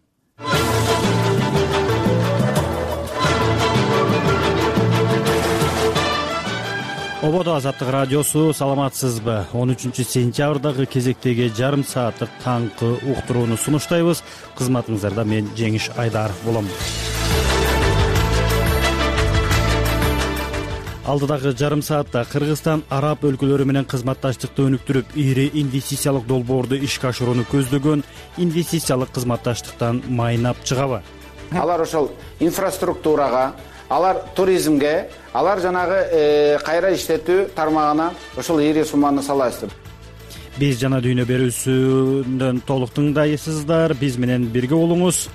Ободо Азаттык радиосу, саламатсызбы? 13-сентябрдагы кезектеги жарым сааттык таңкы уктурууну сунуштайбыз. Кызматыңыздарда мен Жеңиш Айдаров болом. Алдыдагы жарым саатта Кыргызстан араб өлкөлөрү менен кызматташтыкты өнүктүрүп, ири инвестициялык долбоорду ишке ашырууну көздөгөн инвестициялык кызматташтыктан майнап чыгабы? Алар ошол инфраструктурага, алар туризмге, алар жанагы кайра иштетүү тармагына ошол ири сумманы саласыздар. Биз жана дүйнө берүүсүндөн толук тыңдайсыздар. Биз менен бирге болуңуз.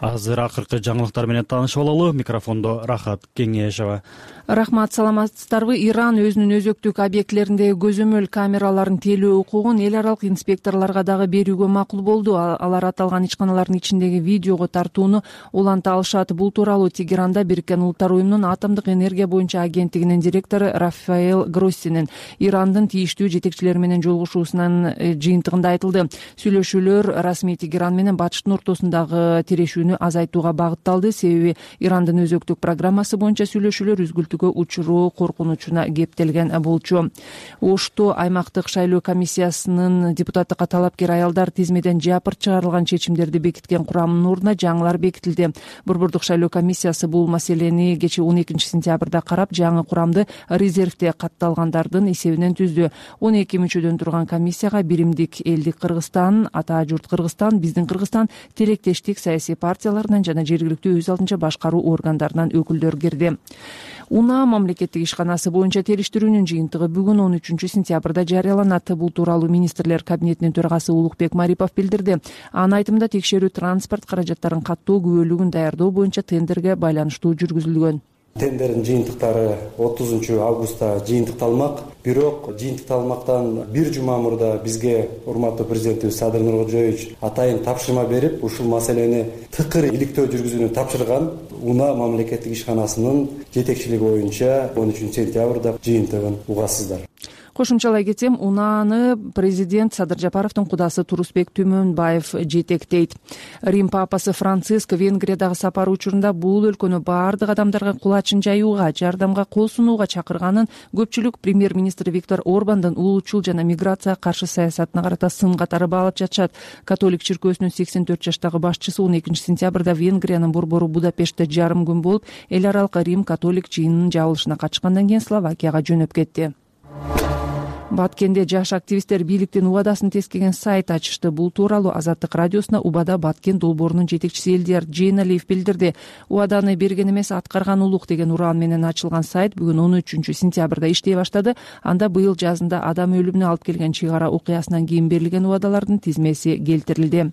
Азыр акыркы жаңылыктар менен таанышып алалы. Микрофондо Рахат Кеңешова. Рахмат, саламатсыздарбы? Иран өзүнүн өзөктүк объектилериндеги көзөмөл камераларын тейлөө укугун эл аралык инспекторлорго дагы берүүгө макул болду. Алар аталган ичканалардын ичиндеги видеого тартууну уланта алышат. Бул тууралуу Тегеранда Бириккен Улуттар уюмунун атомдук энергия боюнча агенттигинин директору Рафаэл Гроссинин Ирандын тийиштүү жетекчилери менен жолугушуусунун жыйынтыгында айтылды. Сүйлөшүүлөр расмий Тегеран менен Батыштын ортосундагы тирешүүнү азайтууга багытталды. Себеби Ирандын өзөктүк программасы боюнча сүйлөшүүлөр үзгүлтүүгө учуруу коркунучуна кептелген болчу. Ошто аймактык шайлоо комиссиясынын депутаттыкка талапкер аялдар тизмеден жапырт чыгарылган чечимдерди бекиткен курамынын ордуна жаңылар бекитилди. Борбордук шайлоо комиссиясы бул маселени кечээ 12-сентябрда карап, жаңы курамды резервде катталгандардын эсебинен түздү. 12 мүчөдөн турган комиссияга биримдик элдик Кыргызстан, Ата журт Кыргызстан, Биздин Кыргызстан, Тилектештик саясий партияларынан жана жергиликтүү өз алдынча башкаруу органдарынан өкүлдөр кирди. УНА мамлекеттик ишканасы боюнча териштирүүнүн жыйынтыгы бүгүн 13-сентябрда жарыяланат. Бул тууралуу министрлер кабинетинин төрагасы Улукбек Марипов билдирди. Анын айтымында текшерүү транспорт каражаттарын каттоо күбөлүгүн даярдоо боюнча тендерге байланыштуу жүргүзүлгөн. Тендердин жыйынтыктары 30 августта жыйынтыкталмак. Бирок жыйынтыкталмактан бир жума мурда бизге урматтуу президентибиз Садыр Нуркожоевич атайын тапшырма берип, ушул маселени тыкыр иликтөө жүргүзүүнү тапшырган. УНА мамлекеттик ишканасынын жетекчилиги боюнча 13-сентябрда жыйынтыгын угасыздар. Кошумчалай кетсем, УНАны президент Садыр Жапаровдун кудасы Турусбек Түмөнбаев жетектейт. Рим папасы Франциск Венгриядагы сапары учурунда бул өлкөнү баардык адамдарга кулачын жаюуга, жардамга кол сунууга чакырганын көпчүлүк премьер-министр Виктор Орбандын улуучул жана миграцияга каршы саясатына карата сын катары баалап жатышат. Католик чиркөөсүнүн 84 жаштагы башчысы 12-сентябрда Венгриянын борбору Будапештте жарым күн болуп, эл аралык Рим католик жыйынынын жабылышына катышкандан кийин Словакияга жөнөп кетти. Баткенде жаш активисттер бийликтин убадасын тескеген сайт ачышты. Бул тууралуу Азаттык радиосуна Убада Баткен долбоорунун жетекчиси Элдияр Жейналиев билдирди. Убаданы берген эмес, аткарган улук деген ураан менен ачылган сайт бүгүн 13-сентябрда иштей баштады. Анда быйыл жазында адам өлүмүнө алып келген чыгара окуясынан кийин берилген убадалардын тизмеси келтирилди.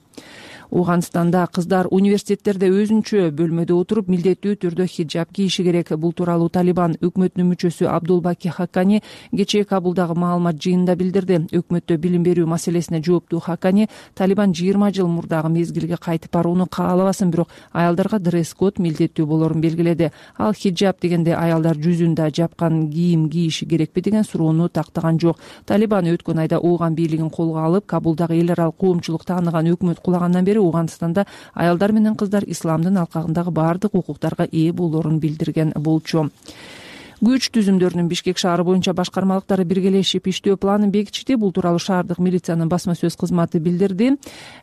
Ооганстанда кыздар университеттерде өзүнчө бөлмөдө отуруп милдеттүү түрдө хиджаб кийиши керек. Бул тууралуу Талибан өкмөтүнүн мүчөсү Абдулбаки Хаккани кечээ Кабулдагы маалымат жыйынында билдирди. Өкмөттө билим берүү маселесине жооптуу Хаккани Талибан 20 жыл мурдагы мезгилге кайтып барууну каалабасын, бирок аялдарга дресс-код милдеттүү болорун белгиледи. Ал хиджаб дегенде аялдар жүзүндө жапкан кийим кийиши керекпи деген суроону тактаган жок. Талибан өткөн айда Ооган бийлигин колго алып, Кабулдагы эл аралык коомчулук тааныган өкмөт кулагандан бери Ооганстанда аялдар менен кыздар исламдын алкагындагы баардык укуктарга ээ болоорун билдирген болчу. Күч түзүмдөрүнүн Бишкек шаары боюнча башкармалыктары биргелешип иштөө планын бекитишти. Бул тууралуу шаардык милициянын басма сөз кызматы билдирди.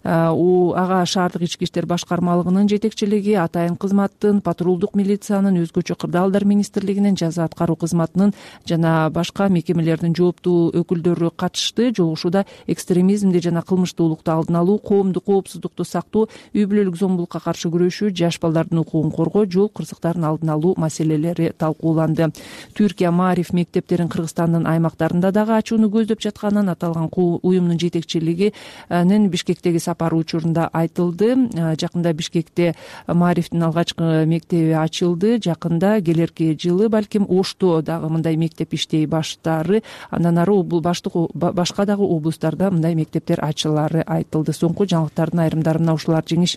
Ага шаардык ички иштер башкармалыгынын жетекчилиги, атайын кызматтын, патрулдук милициянын, өзгөчө кырдаалдар министрлигинин, жаза аткаруу кызматынын жана башка мекемелердин жооптуу өкүлдөрү катышты. Жолугушууда экстремизмди жана кылмыштуулукту алдын алуу, коомдук коопсуздукту сактоо, үй бүлөлүк зомбулукка каршы күрөшүү, жаш балдардын укугун коргоо, жол кырсыктарын алдын алуу маселелери талкууланды. Түркия Маариф мектептерин Кыргызстандын аймактарында дагы ачууну көздөп жатканын аталган уюмдун жетекчилигинин Бишкектеги сапары учурунда айтылды. Жакында Бишкекте Маарифтин алгачкы мектеби ачылды. Жакында келерки жылы балким Ошто дагы мындай мектеп иштей баштаары, андан ары башка дагы облустарда мындай мектептер ачылаары айтылды. Соңку жаңылыктардын айрымдарына ушулар жеңиш.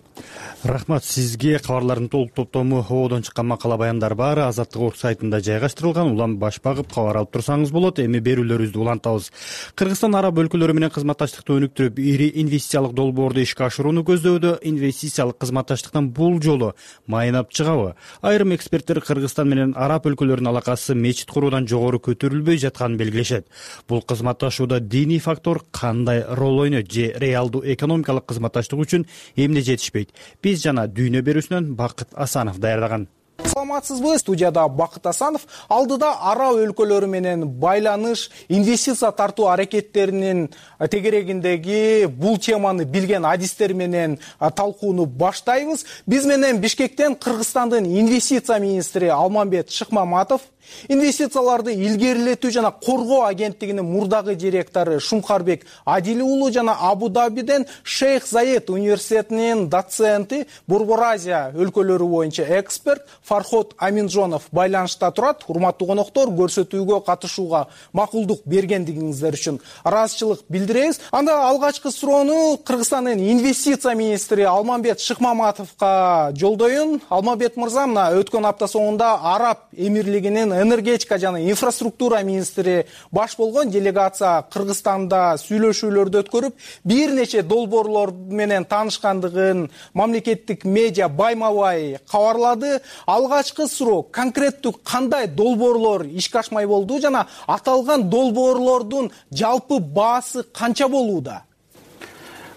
Рахмат сизге. Кабарлардын толук топтому Оодон чыккан макала баяндар баары Азаттык.орг сайтында жайгаштырылган. Улам баш багып кабар алып турсаңыз болот. Эми берүүлөрүбүздү улантабыз. Кыргызстан араб өлкөлөрү менен кызматташтыкты өнүктүрүп, ири инвестициялык долбоорду ишке ашырууну көздөөдө. Инвестициялык кызматташтыктан бул жолу майнап чыгабы? Айрым эксперттер Кыргызстан менен араб өлкөлөрүнүн алакасы мечит куруудан жогору көтөрүлбөй жатканын белгилешет. Бул кызматташууда диний фактор кандай роль ойнойт же реалдуу экономикалык кызматташтык үчүн эмне жетишпейт? Биз жана дүйнө берүүсүнөн Бакыт Асанов даярдаган. Саламатсызбы? Студияда Бакыт Асанов. Алдыда араб өлкөлөрү менен байланыш, инвестиция тартуу аракеттеринин тегерегиндеги бул теманы билген адистер менен талкууну баштайбыз. Биз менен Бишкектен Кыргызстандын инвестиция министри Алмамбет Шыкмаматов, инвестицияларды илгерилетүү жана коргоо агенттигинин мурдагы директору Шумкарбек Адили уулу жана Абу-Дабиден Шейх Заед университетинин доценти, Борбор Азия өлкөлөрү боюнча эксперт Фарход Аминжонов байланышта турат. Урматтуу коноктор, көрсөтүүгө катышууга макулдук бергендигиңиздер үчүн ыраазычылык билдиребиз. Анда алгачкы суроону Кыргызстандын инвестиция министри Алмамбет Шыкмаматовго жолдоюн. Алмамбет мырза, мына өткөн апта соңунда Араб Эмирлигинин энергетика жана инфраструктура министри баш болгон делегация Кыргызстанда сүйлөшүүлөрдү өткөрүп, бир нече долбоорлор менен таанышкандыгын мамлекеттик медиа байма-бай кабарлады. Алгачкы суроо, конкреттүү кандай долбоорлор ишке ашмай болду жана аталган долбоорлордун жалпы баасы канча болууда?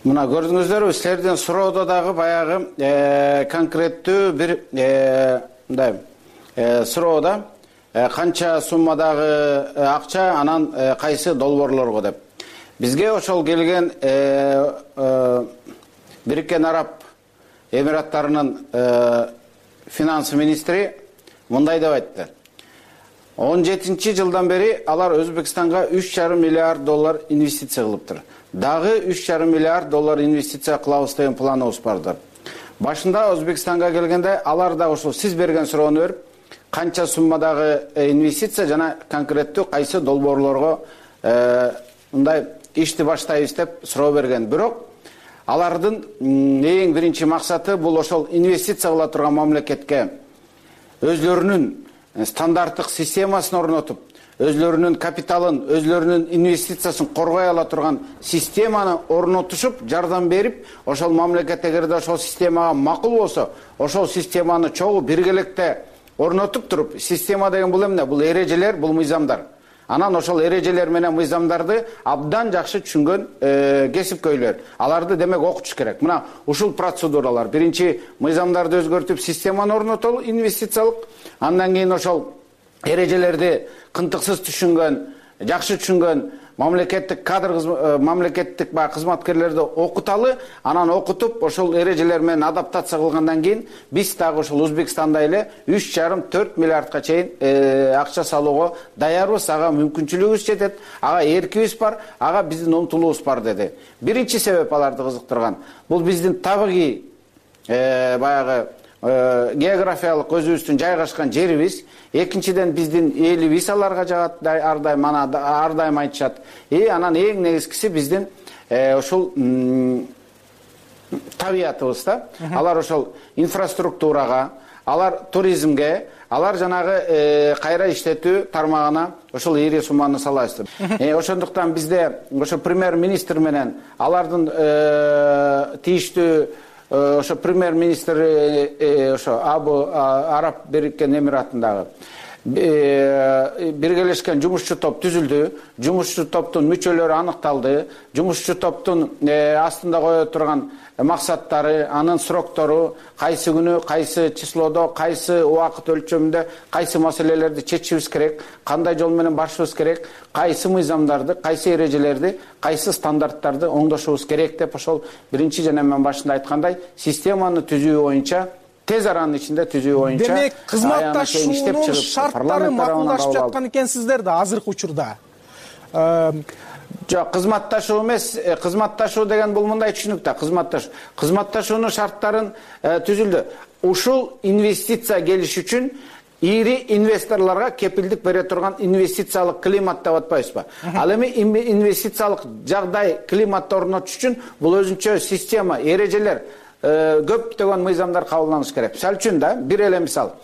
Мына көрдүңүздөр, силердин суроодо дагы баягы конкреттүү бир мындай суроода канча суммадагы акча, анан кайсы долбоорлорго деп. Бизге ошол келген Бириккен Араб Эмираттарынын финанс министри мындай деп айтты. 17-жылдан бери алар Өзбекстанга 3,5 миллиард доллар инвестиция кылыптыр. Дагы 3,5 миллиард доллар инвестиция кылабыз деген планыбыз бардыр. Башында Өзбекстанга келгенде алар да ошол сиз берген суроону берип, канча суммадагы инвестиция жана конкреттүү кайсы долбоорлорго мындай ишти баштайбыз деп суроо берген. Бирок алардын эң биринчи максаты бул ошол инвестиция кыла турган мамлекетке өзлөрүнүн стандарттык системасын орнотуп, өзлөрүнүн капиталын, өзлөрүнүн инвестициясын коргой ала турган системаны орнотушуп, жардам берип, ошол мамлекет эгерде ошол системага макул болсо, ошол системаны чогуу биргеликте орнотуп туруп, система деген бул эмне? Бул эрежелер, бул мыйзамдар. Анан ошол эрежелер менен мыйзамдарды абдан жакшы түшүнгөн кесипкөйлөр. Аларды демек окутуш керек. Мына ушул процедуралар. Биринчи мыйзамдарды өзгөртүп, системаны орнотолу инвестициялык. Андан кийин ошол эрежелерди кынтыксыз түшүнгөн, жакшы түшүнгөн мамлекеттик мамлекеттик баягы кызматкерлерди окуталы, анан окутуп ошол эрежелер менен адаптация кылгандан кийин биз дагы ошол Өзбекстанда эле 3,5-4 миллиардка чейин акча салууга даярбыз. Ага мүмкүнчүлүгүбүз жетет, ага эркибиз бар, ага биздин умтулуубуз бар деди. Биринчи себеп аларды кызыктырган бул биздин табигый баягы географиялык өзүбүздүн жайгашкан жерибиз. Экинчиден биздин элибиз аларга жагат, ар дайым айтышат. Анан эң негизгиси биздин ошол табиятыбыз да. Алар ошол инфраструктурага, алар туризмге, алар жанагы кайра иштетүү тармагына ошол ири сумманы салабыз. Ошондуктан бизде ошо премьер-министр менен алардын тииштүү ошо премьер-министр ошо Араб Бириккен Эмиратындагы биргелешкен жумушчу топ түзүлдү. Жумушчу топтун мүчөлөрү аныкталды. Жумушчу топтун астында кое турган максаттары, анын сроктору, кайсы күнү, кайсы числодо, кайсы убакыт өлчөмүндө кайсы маселелерди чечишибиз керек, кандай жол менен барышыбыз керек, кайсы мыйзамдарды, кайсы эрежелерди, кайсы стандарттарды оңдошубуз керек деп ошол биринчи жана мен башында айткандай системаны түзүү боюнча, тез аранын ичинде түзүү боюнча демек кызматташуунун шарттары макулдашып жаткан экенсиздер да азыркы учурда. Жок, кызматташуу эмес, кызматташуу деген бул мындай түшүнүк да, кызматташуунун шарттарын түзүлдү. Ушул инвестиция келиш үчүн ири инвесторлорго кепилдик бере турган инвестициялык климат деп атпайбызбы? Ал эми инвестициялык жагдай климатты орнотуш үчүн бул өзүнчө система, эрежелер, көптөгөн мыйзамдар кабылданыш керек. Мисалы үчүн да, бир эле мисал.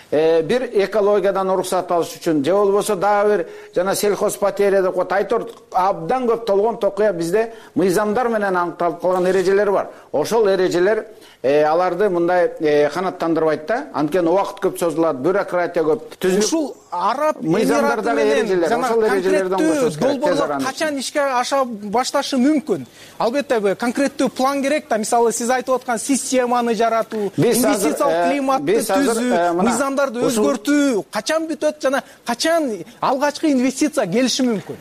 Бир экологиядан уруксат алыш үчүн, же болбосо дагы бир жана сельхозпатерия деп коет, айтор абдан көп толгон токуя бизде мыйзамдар менен аныкталып калган эрежелер бар. Ошол эрежелер аларды мындай канаттандырбайт да. Анткени убакыт көп созулат, бюрократия көп. Ушул Араб Эмираты менен жана конкреттүү долбоорлор качан ишке аша башташы мүмкүн? Албетте конкреттүү план керек да. Мисалы сиз айтып аткан системаны жаратуу, инвестициялык климатты түзүү, мыйзамдарды өзгөртүү качан бүтөт жана качан алгачкы инвестиция келиши мүмкүн?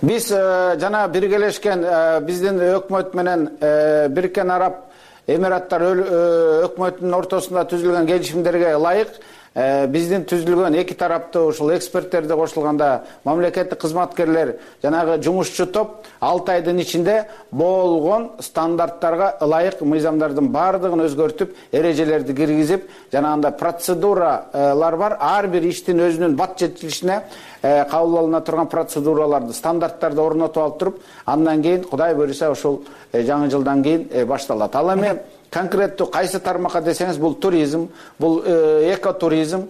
Биз жана биргелешкен биздин өкмөт менен Бириккен Араб Эмираттар өкмөтүнүн ортосунда түзүлгөн келишимдерге ылайык биздин түзүлгөн эки тараптуу ушул эксперттерди кошулганда мамлекеттик кызматкерлер жанагы жумушчу топ 6 айдын ичинде болгон стандарттарга ылайык мыйзамдардын баардыгын өзгөртүп, эрежелерди киргизип, жанагындай процедуралар бар. Ар бир иштин өзүнүн бат жетилишине кабыл алына турган процедураларды, стандарттарды орнотуп алып туруп, андан кийин Кудай буйруса ушул жаңы жылдан кийин башталат. Ал эми конкреттүү кайсы тармакка десеңиз, бул туризм, бул экотуризм,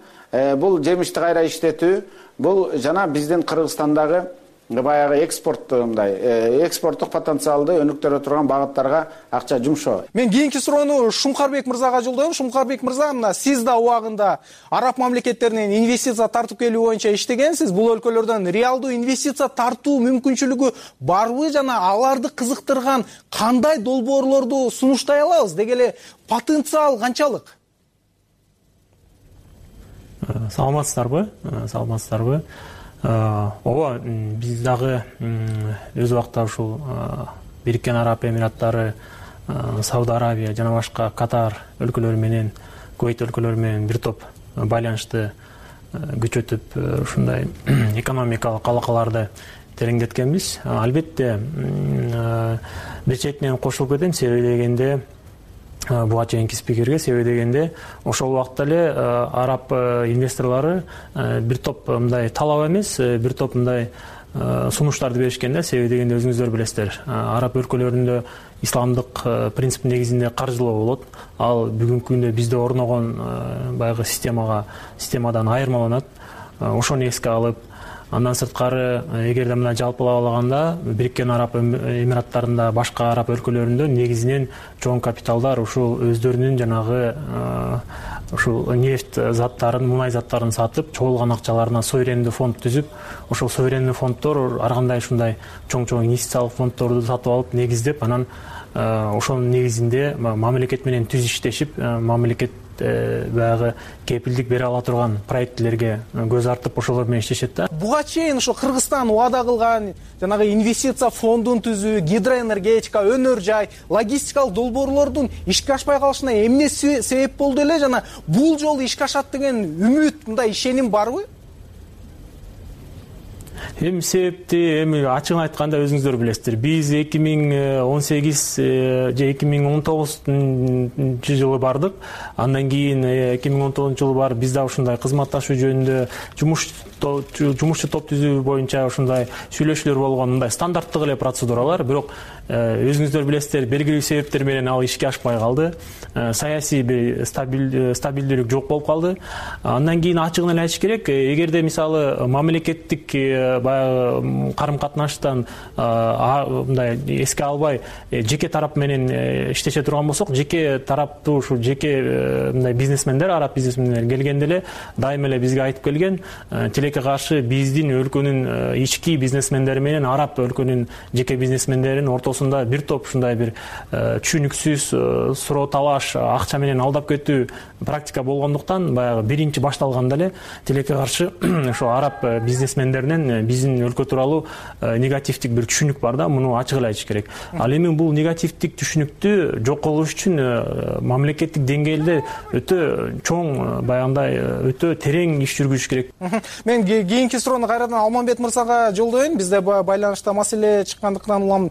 бул жемишти кайра иштетүү, бул жана биздин Кыргызстандагы баягы экспорттук потенциалды өнүктүрө турган багыттарга акча жумшоо. Мен кийинки суроону Шумкарбек мырзага жолдойм. Шумкарбек мырза, мына сиз да убагында араб мамлекеттеринен инвестиция тартып келүү боюнча иштегенсиз. Бул өлкөлөрдөн реалдуу инвестиция тартуу мүмкүнчүлүгү барбы жана аларды кызыктырган кандай долбоорлорду сунуштай алабыз? Деги эле потенциал канчалык? Саламатсыздарбы? Ооба, биз дагы өз убакта ушул Бириккен Араб Эмираттары, Сауд Арабия жана башка Катар өлкөлөрү менен, Кувейт өлкөлөрү менен бир топ байланышты күчөтүп, ушундай экономикалык алакаларды тереңдеткенбиз. Албетте бир четинен кошулуп кетем, себеби дегенде буга чейинки спикерге, себеби дегенде ошол убакта эле араб инвесторлору бир топ мындай талап эмес, бир топ мындай сунуштарды беришкен да. Себеби дегенде өзүңүздөр билесиздер, араб өлкөлөрүндө исламдык принциптин негизинде каржылоо болот. Ал бүгүнкү күндө бизде орногон баягы системадан айырмаланат. Ошону эске алып, андан сырткары эгерде мына жалпылап алганда Бириккен Араб Эмираттарында, башка араб өлкөлөрүндө негизинен чоң капиталдар ушул өздөрүнүн жанагы ушул нефть заттарын, мунай заттарын сатып, чогулган акчаларына суверендүү фонд түзүп, ошол суверендүү фонддор ар кандай ушундай чоң инвестициялык фонддорду сатып алып, негиздеп, анан ошонун негизинде мамлекет менен түз иштешип, мамлекет баягы кепилдик бере ала турган проектилерге көз артып ошолор менен иштешет да. Буга чейин ошо Кыргызстан убада кылган жанагы инвестиция фондун түзүү, гидроэнергетика, өнөр жай, логистикалык долбоорлордун ишке ашпай калышына эмне себеп болду эле жана бул жолу ишке ашат деген үмүт, мындай ишеним барбы? Эми себепти ачыгын айтканда өзүңүздөр билесиздер. Биз 2018 же 2019 жылы бардык. Андан кийин 2019 жылы барып биз да ушундай кызматташуу жөнүндө жумушчу топ түзүү боюнча ушундай сүйлөшүүлөр болгон, мындай стандарттык эле процедуралар. Бирок өзүңүздөр билесиздер, белгилүү себептер менен ал ишке ашпай калды. Саясий бир стабилдүүлүк жок болуп калды. Андан кийин ачыгын эле айтыш керек, эгерде мисалы мамлекеттик баягы карым-катнаштан мындай эске албай жеке тарап менен иштеше турган болсок, жеке тараптуу ушул жеке мындай бизнесмендер, араб бизнесмендер келгенде эле дайыма эле бизге айтып келген, тилекке каршы биздин өлкөнүн ички бизнесмендери менен араб өлкөнүн жеке бизнесмендеринин ортосунда бир топ ушундай бир түшүнүксүз суроо талаш, акча менен алдап кетүү практика болгондуктан баягы биринчи башталганда эле тилекке каршы ошо араб бизнесмендеринен биздин өлкө тууралуу негативдик бир түшүнүк бар да, муну ачык эле айтыш керек. Ал эми бул негативдик түшүнүктү жок кылыш үчүн мамлекеттик деңгээлде өтө чоң, баягындай өтө терең иш жүргүзүш керек. Мен кийинки суроону кайрадан Алмамбет мырзага жолдоюн. Бизде байланышта маселе чыккандыктан улам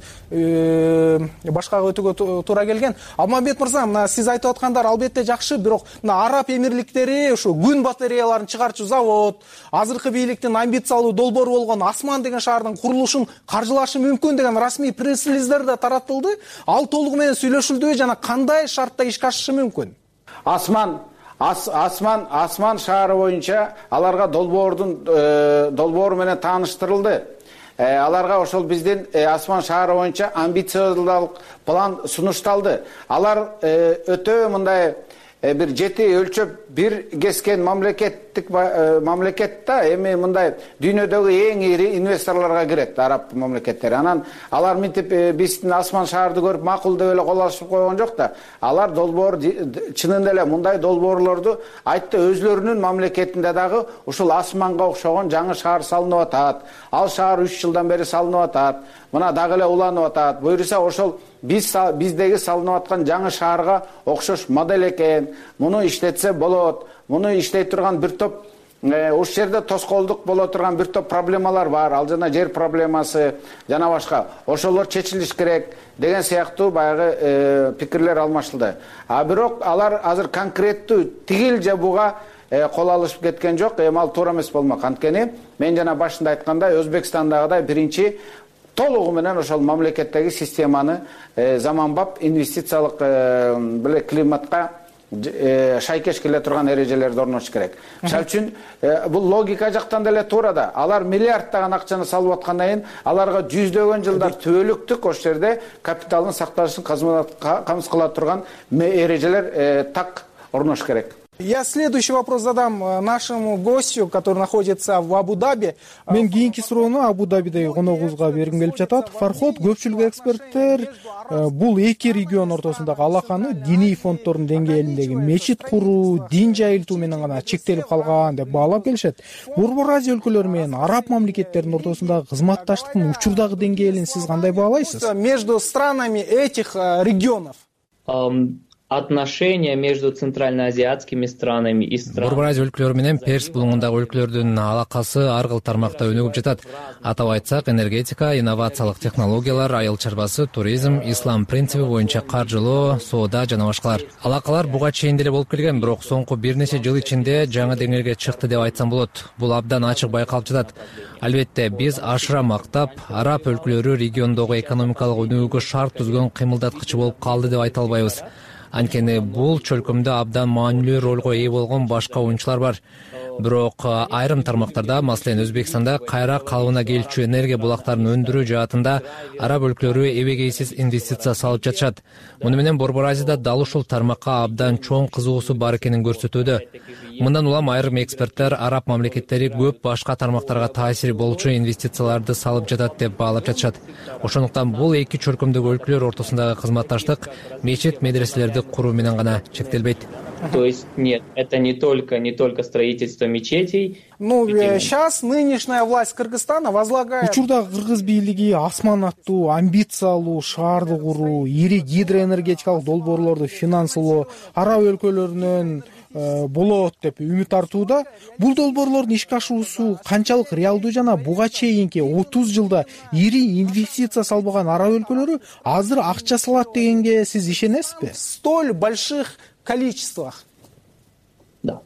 башкага өтүүгө туура келген. Алмамбет мырза, мына сиз айтып аткандар албетте жакшы, бирок мына араб эмирликтери ушу күн батареяларын чыгарчу завод, азыркы бийликтин амбициялуу долбоору болгон Асман деген шаардын курулушун каржылашы мүмкүн деген расмий пресс-релиздер да таратылды. Ал толугу менен сүйлөшүлдүбү жана кандай шартта ишке ашышы мүмкүн? Асман шаары боюнча аларга долбоору менен тааныштырылды. Аларга ошол биздин Асман шаары боюнча амбициялык план сунушталды. Алар өтө мындай бир жети өлчөп бир кескен мамлекетте эми мындай дүйнөдөгү эң ири инвесторлорго кирет араб мамлекеттери. Анан алар мынтип биздин Асман шаарды көрүп макул деп эле кол алышып койгон жок да. Алар долбоор чынында эле мындай долбоорлорду айтты, өзлөрүнүн мамлекетинде дагы ушул Асманга окшогон жаңы шаар салынып атат. Ал шаар 3 жылдан бери салынып атат. Мына дагы эле уланып атат. Буюрса ошол биздеги салынып аткан жаңы шаарга окшош модель экен. Муну иштетсе болот. Муну иштей турган бир топ ушул жерде тоскоолдук боло турган бир топ проблемалар бар. Ал жана жер проблемасы жана башка. Ошолор чечилиш керек деген сыяктуу баягы пикирлер алмашылды. Бирок алар азыр конкреттүү тигил же буга кол алышып кеткен жок. Эми ал туура эмес болмок. Анткени мен жана башында айткандай Өзбекстандагыдай биринчи толугу менен ошол мамлекеттеги системаны заманбап инвестициялык климатка шайкеш келе турган эрежелерди орнотуш керек. Мисалы үчүн бул логика жактан деле туура да. Алар миллиарддаган акчаны салып аткандан кийин аларга жүздөгөн жылдар түбөлүктүк ошол жерде капиталдын сакталышын камсыз кыла турган эрежелер так орнотуш керек. Я следующий вопрос задам нашему гостю, который находится в Абу-Даби. Мен кийинки суроону Абу-Дабидеги коногубузга бергим келип жатат. Фарход, көпчүлүк эксперттер бул эки регион ортосундагы алаканы диний фонддордун деңгээлиндеги мечит куруу, дин жайылтуу менен гана чектелип калган деп баалап келишет. Борбор Азия өлкөлөрү менен араб мамлекеттеринин ортосундагы кызматташтыктын учурдагы деңгээлин сиз кандай баалайсыз? Между странами этих регионов отношения между центральноазиатскими странами и странами. Борбор Азия өлкөлөрү менен Перс булуңундагы өлкөлөрдүн алакасы ар кыл тармакта өнүгүп жатат. Атап айтсак, энергетика, инновациялык технологиялар, айыл чарбасы, туризм, ислам принципи боюнча каржылоо, соода жана башкалар. Алакалар буга чейин деле болуп келген, бирок соңку бир нече жыл ичинде жаңы деңгээлге чыкты деп айтсам болот. Бул абдан ачык байкалып жатат. Албетте, биз ашыра мактап, араб өлкөлөрү региондогу экономикалык өнүгүүгө шарт түзгөн кыймылдаткычы болуп калды деп айта албайбыз. Анткени бул чөлкөмдө абдан маанилүү ролго ээ болгон башка оюнчулар бар. Бирок айрым тармактарда, маселен Өзбекстанда кайра калыбына келчү энергия булактарын өндүрүү жаатында араб өлкөлөрү эбегейсиз инвестиция салып жатышат. Муну менен Борбор Азияда дал ушул тармакка абдан чоң кызыгуусу бар экенин көрсөтүүдө. Мындан улам айрым эксперттер араб мамлекеттери көп башка тармактарга таасири болчу инвестицияларды салып жатат деп баалап жатышат. Ошондуктан бул эки чөлкөмдөгү өлкөлөр ортосундагы кызматташтык мечит медреселерди куруу менен гана чектелбейт. То есть нет, это не только строительство мечетей. Сейчас нынешняя власть Кыргызстана возлагает. Учурда кыргыз бийлиги асман аттуу, амбициялуу шаарды куруу, ири гидроэнергетикалык долбоорлорду финансылоо араб өлкөлөрүнөн болот деп үмүт артууда. Бул долбоорлордун ишке ашуусу канчалык реалдуу жана буга чейинки 30 жылда ири инвестиция салбаган араб өлкөлөрү азыр акча салат дегенге сиз ишенесизби? Столь больших количествах. Да.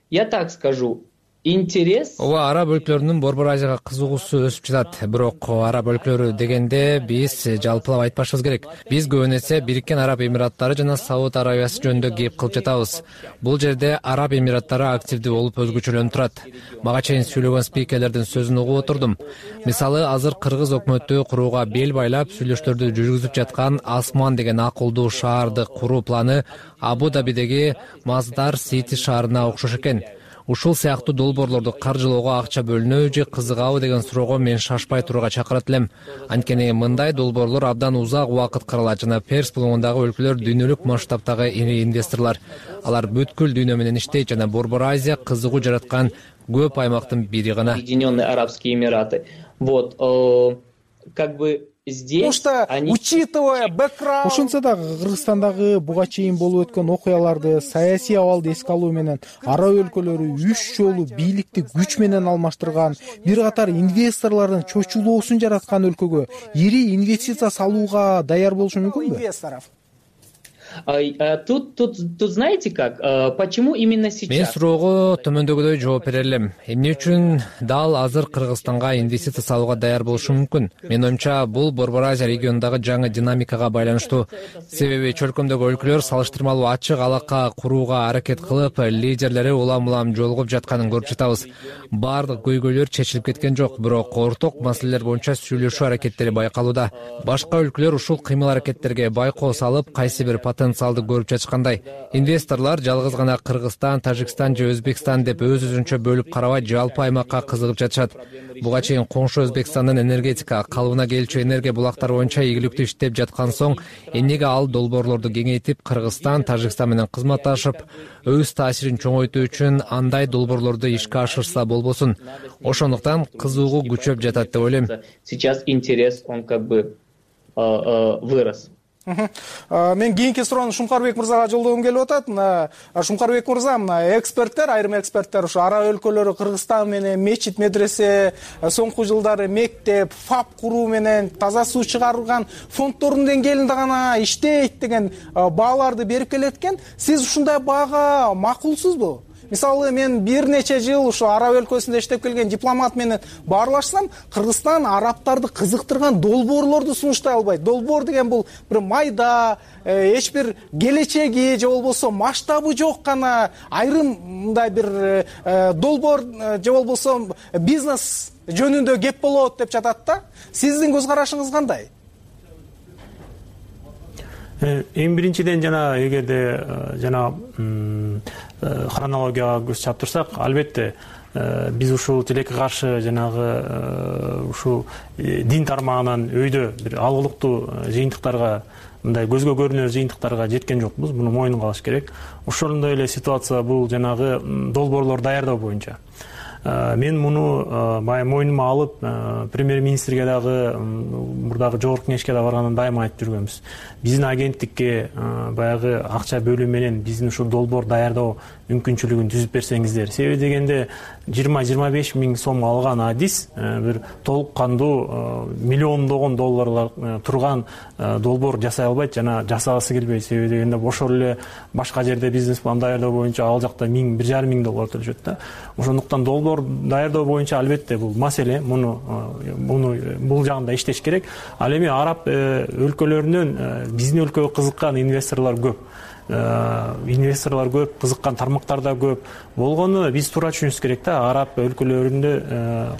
Я так скажу. Интерес. Ооба, араб өлкөлөрүнүн Борбор Азияга кызыгуусу өсүп жатат. Бирок араб өлкөлөрү дегенде биз жалпылап айтпашыбыз керек. Биз көбүн эсе Бириккен Араб Эмираттары жана Сауд Арабиясы жөнүндө кеп кылып жатабыз. Бул жерде Араб Эмираттары активдүү болуп өзгөчөлөнүп турат. Мага чейин сүйлөгөн спикерлердин сөзүн угуп отурдум. Мисалы, азыр кыргыз өкмөтү курууга бел байлап сүйлөштөрдү жүргүзүп жаткан Асман деген акылдуу шаарды куруу планы Абу-Дабидеги Маздар Сити шаарына окшош экен. Ушул сыяктуу долбоорлорду каржылоого акча бөлүнөбү же кызыгабы деген суроого мен шашпай турууга чакырат элем. Анткени мындай долбоорлор абдан узак убакыт каралат жана Перс булугундагы өлкөлөр дүйнөлүк масштабтагы ири инвесторлор. Алар бүткүл дүйнө менен иштейт жана Борбор Азия кызыгуу жараткан көп аймактын бири гана. Объединенные Арабские Эмираты. Вот, как бы здесь учитывая бэкграунд. Ошентсе да Кыргызстандагы буга чейин болуп өткөн окуяларды, саясий абалды эске алуу менен араб өлкөлөрү 3 жолу бийликти күч менен алмаштырган, бир катар инвесторлордун чочулоосун жараткан өлкөгө ири инвестиция салууга даяр болушу мүмкүнбү? Инвесторов. Тут знаете как? Почему именно сейчас? Мен суроого төмөндөгүдөй жооп бере элем. Эмне үчүн дал азыр Кыргызстанга инвестиция салууга даяр болушу мүмкүн? Менин оюмча, бул Борбор Азия регионундагы жаңы динамикага байланыштуу. Себеби чөлкөмдөгү өлкөлөр салыштырмалуу ачык алака курууга аракет кылып, лидерлери улам-улам жолугуп жатканын көрүп жатабыз. Бардык көйгөйлөр чечилип кеткен жок, бирок орток маселелер боюнча сүйлөшүү аракеттери байкалууда. Башка өлкөлөр ушул кыймыл аракеттерге байкоо салып, кайсы бир потенциалды көрүп жатышкандай. Инвесторлор жалгыз гана Кыргызстан, Тажикстан же Өзбекстан деп өз-өзүнчө бөлүп карабай жалпы аймакка кызыгып жатышат. Буга чейин коңшу Өзбекстандын энергетика, калыбына келчү энергия булактары боюнча ийгиликтүү иштеп жаткан соң, эмнеге ал долбоорлорду кеңейтип, Кыргызстан, Тажикстан менен кызматташып, өз таасирин чоңойтуу үчүн андай долбоорлорду ишке ашырса болбосун. Ошондуктан кызыгуу күчөп жатат деп ойлойм. Сейчас интерес, он как бы вырос. Мен кийинки суроону Шумкарбек мырзага жолдогум келип атат. Шумкарбек мырза, эксперттер, айрым эксперттер ушу араб өлкөлөрү Кыргызстан менен мечит, медресе, соңку жылдары мектеп, ФАП куруу менен таза суу чыгарылган фонддордун деңгээлинде гана иштейт деген бааларды берип келет экен. Сиз ушундай баага макулсузбу? Мисалы, мен бир нече жыл ушу араб өлкөсүндө иштеп келген дипломат менен баарлашсам, Кыргызстан арабтарды кызыктырган долбоорлорду сунуштай албайт. Долбоор деген бул бир майда, эч бир келечеги же болбосо масштабы жок гана айрым мындай бир долбоор же болбосо бизнес жөнүндө кеп болот деп жатат да. Сиздин көз карашыңыз кандай? Эң биринчиден жана эгерде жана хронологияга көз чаптырсак, албетте биз ушул тилекке каршы жанагы ушул дин тармагынан өйдө бир алгылыктуу жыйынтыктарга, мындай көзгө көрүнөр жыйынтыктарга жеткен жокпуз. Муну мойнунга алыш керек. Ошондой эле ситуация бул жанагы долбоорлор даярдоо боюнча. Мен муну мойнума алып, премьер-министрге дагы, мурдагы жогорку кеңешке да баргандан дайыма айтып жүргөнбүз. Биздин агенттикке баягы акча бөлүү менен биздин ушул долбоор даярдоо мүмкүнчүлүгүн түзүп берсеңиздер. Себеби дегенде 20-25 миң сом алган адис бир толук кандуу миллиондогон долларлар турган долбоор жасай албайт жана жасагысы келбейт. Себеби дегенде ошол эле башка жерде бизнес план даярдоо боюнча ал жакта 1000-1,5 миң доллар төлөшөт да. Ошондуктан долбоор даярдоо боюнча албетте бул маселе, бул жагында иштеш керек. Ал эми араб өлкөлөрүнөн биздин өлкөгө кызыккан инвесторлор көп. инвесторлор көп, кызыккан тармактар да көп болгону биз туура түшүнүшүбүз керек да. Араб өлкөлөрүндө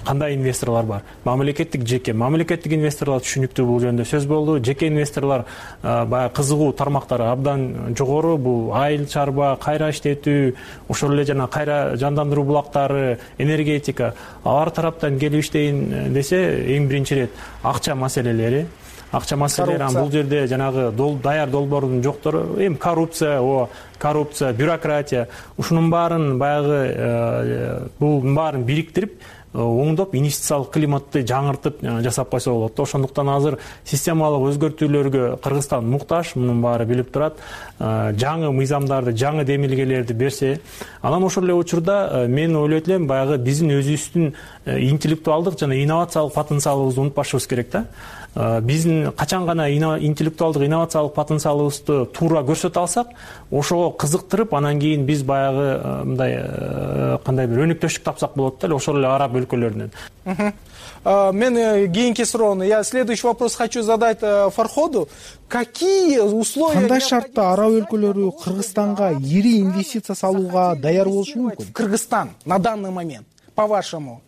кандай инвесторлор бар? Мамлекеттик, жеке. Мамлекеттик инвесторлор түшүнүктүү, бул жөнүндө сөз болду. Жеке инвесторлор баягы кызыгуу тармактары абдан жогору. Бул айыл чарба, кайра иштетүү, ошол эле жана кайра жандандыруу булактары, энергетика. Алар тараптан келип иштейин десе, эң биринчи ирет акча маселелери. Акча маселелери, бул жерде жанагы даяр долбоордун жоктору, эми коррупция, бюрократия, ушунун баарын баягы бул баарын бириктирип, оңдоп, инвестициялык климатты жаңыртып жасап койсо болот. Ошондуктан азыр системалык өзгөртүүлөргө Кыргызстан муктаж, мунун баары билип турат. Жаңы мыйзамдарды, жаңы демилгелерди берсе, анан ошол эле учурда мен ойлойт элем, баягы биздин өзүбүздүн интеллектуалдык жана инновациялык потенциалыбызды унутпашыбыз керек да. Биздин качан гана интеллектуалдык инновациялык потенциалыбызды туура көрсөтө алсак, ошого кызыктырып, анан кийин биз баягы мындай кандай бир өнүктөштүк тапсак болот да, ошол эле араб өлкөлөрүнөн. Мен кийинки суроону, я следующий вопрос хочу задать Фарходу. Какие условия? Кандай шартта араб өлкөлөрү Кыргызстанга ири инвестиция салууга даяр болушу мүмкүн? Кыргызстан на данный момент, по-вашему?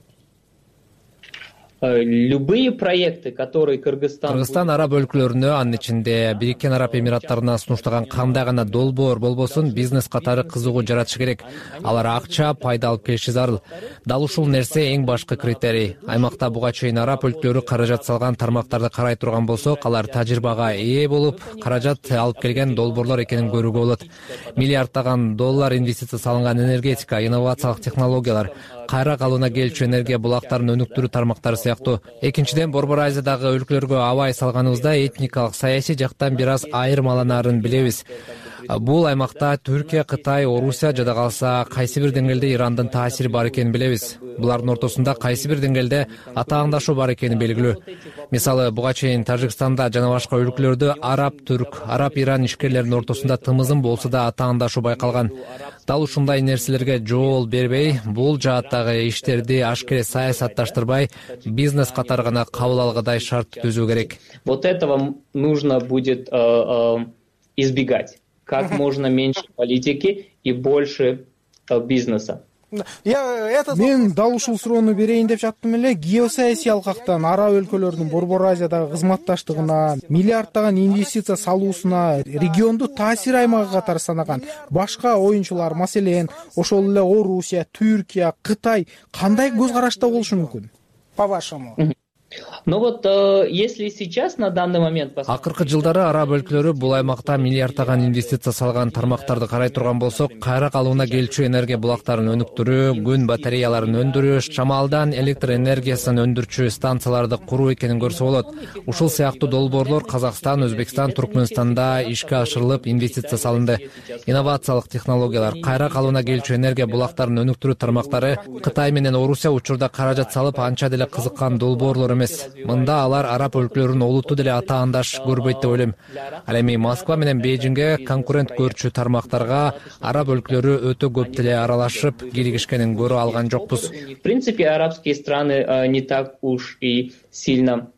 Любые проекты, которые Кыргызстан араб өлкөлөрүнө, анын ичинде Бириккен Араб Эмираттарына сунуштаган кандай гана долбоор болбосун, бизнес катары кызыгуу жаратышы керек. Алар акча, пайда алып келиши зарыл. Дал ушул нерсе эң башкы критерий. Аймакта буга чейин араб өлкөлөрү каражат салган тармактарды карай турган болсок, алар тажрыйбага ээ болуп, каражат алып келген долбоорлор экенин көрүүгө болот. Миллиарддаган доллар инвестиция салынган энергетика, инновациялык технологиялар, кайра калууна келчү энергия булактарын өнүктүрүү тармактары сыяктуу. Экинчиден, Борбор Азиядагы өлкөлөргө абай салганыбызда этникалык, саясий жактан бир аз айырмаланаарын билебиз. Бул аймакта Түркия, Кытай, Орусия жада калса кайсы бир деңгээлде Ирандын таасири бар экенин билебиз. Булардын ортосунда кайсы бир деңгээлде атаандашуу бар экени белгилүү. Мисалы, буга чейин Тажикстанда жана башка өлкөлөрдө араб-түрк, араб-иран ишкерлеринин ортосунда тымызын болсо да атаандашуу байкалган. Дал ушундай нерселерге жол бербей, бул жааттагы иштерди ашкере саясатташтырбай, бизнес катары гана кабыл алгыдай шарт түзүү керек. Вот этого нужно будет избегать. Как можно меньше политики и больше бизнеса. Мен дал ушул суроону берейин деп жаттым эле. Геосаясий алкактан араб өлкөлөрүнүн Борбор Азиядагы кызматташтыгына, миллиарддаган инвестиция салуусуна, регионду таасир аймагы катары санаган башка оюнчулар, маселен, ошол эле Орусия, Түркия, Кытай кандай көз карашта болушу мүмкүн? По-вашему? Ну вот, если сейчас на данный момент... Акыркы жылдары араб өлкөлөрү бул аймакта миллиарддаган инвестиция салган тармактарды карай турган болсок, кайра калууна келчү энергия булактарын өнүктүрүү, күн батареяларын өндүрүү, шамалдан электр энергиясын өндүрчү станцияларды куруу экенин көрсө болот. Ушул сыяктуу долбоорлор Казакстан, Өзбекстан, Туркменстанда ишке ашырылып, инвестиция салынды. Инновациялык технологиялар, кайра калууна келчү энергия булактарын өнүктүрүү тармактары Кытай менен Орусия учурда каражат салып, анча деле кызыккан долбоорлор эмес. Мында алар араб өлкөлөрүн олуттуу деле атаандаш көрбөйт деп ойлойм. Ал эми Москва менен Бейжиңге конкурент көрчү тармактарга араб өлкөлөрү өтө көп деле аралашып киригишкенин көрө алган жокпуз. В принципе, арабские страны не так уж и сильно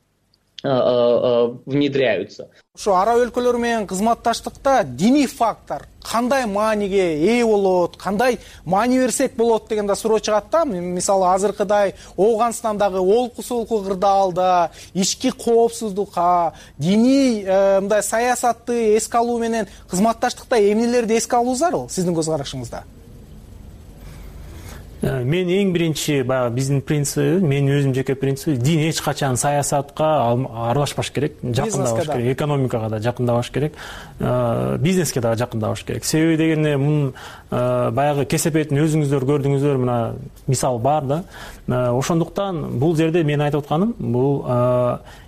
внедряются. Ошо араб өлкөлөрү менен кызматташтыкта диний фактор кандай мааниге ээ болот, кандай маани берсек болот деген да суроо чыгат да. Мисалы азыркыдай Ооганстандагы олку-солку кырдаалда ички коопсуздукка, диний мындай саясатты эске алуу менен кызматташтыкта эмнелерди эске алуу зарыл сиздин көз карашыңызда? Мен эң биринчи баягы биздин принцип, мен өзүм жеке принцип, дин эч качан саясатка аралашпаш керек, жакындабаш керек, экономикага да жакындабаш керек, бизнеске да жакындабаш керек. Себеби дегенде мунун баягы кесепетин өзүңүздөр көрдүңүздөр, мына мисал бар да. Ошондуктан бул жерде мен айтып атканым, бул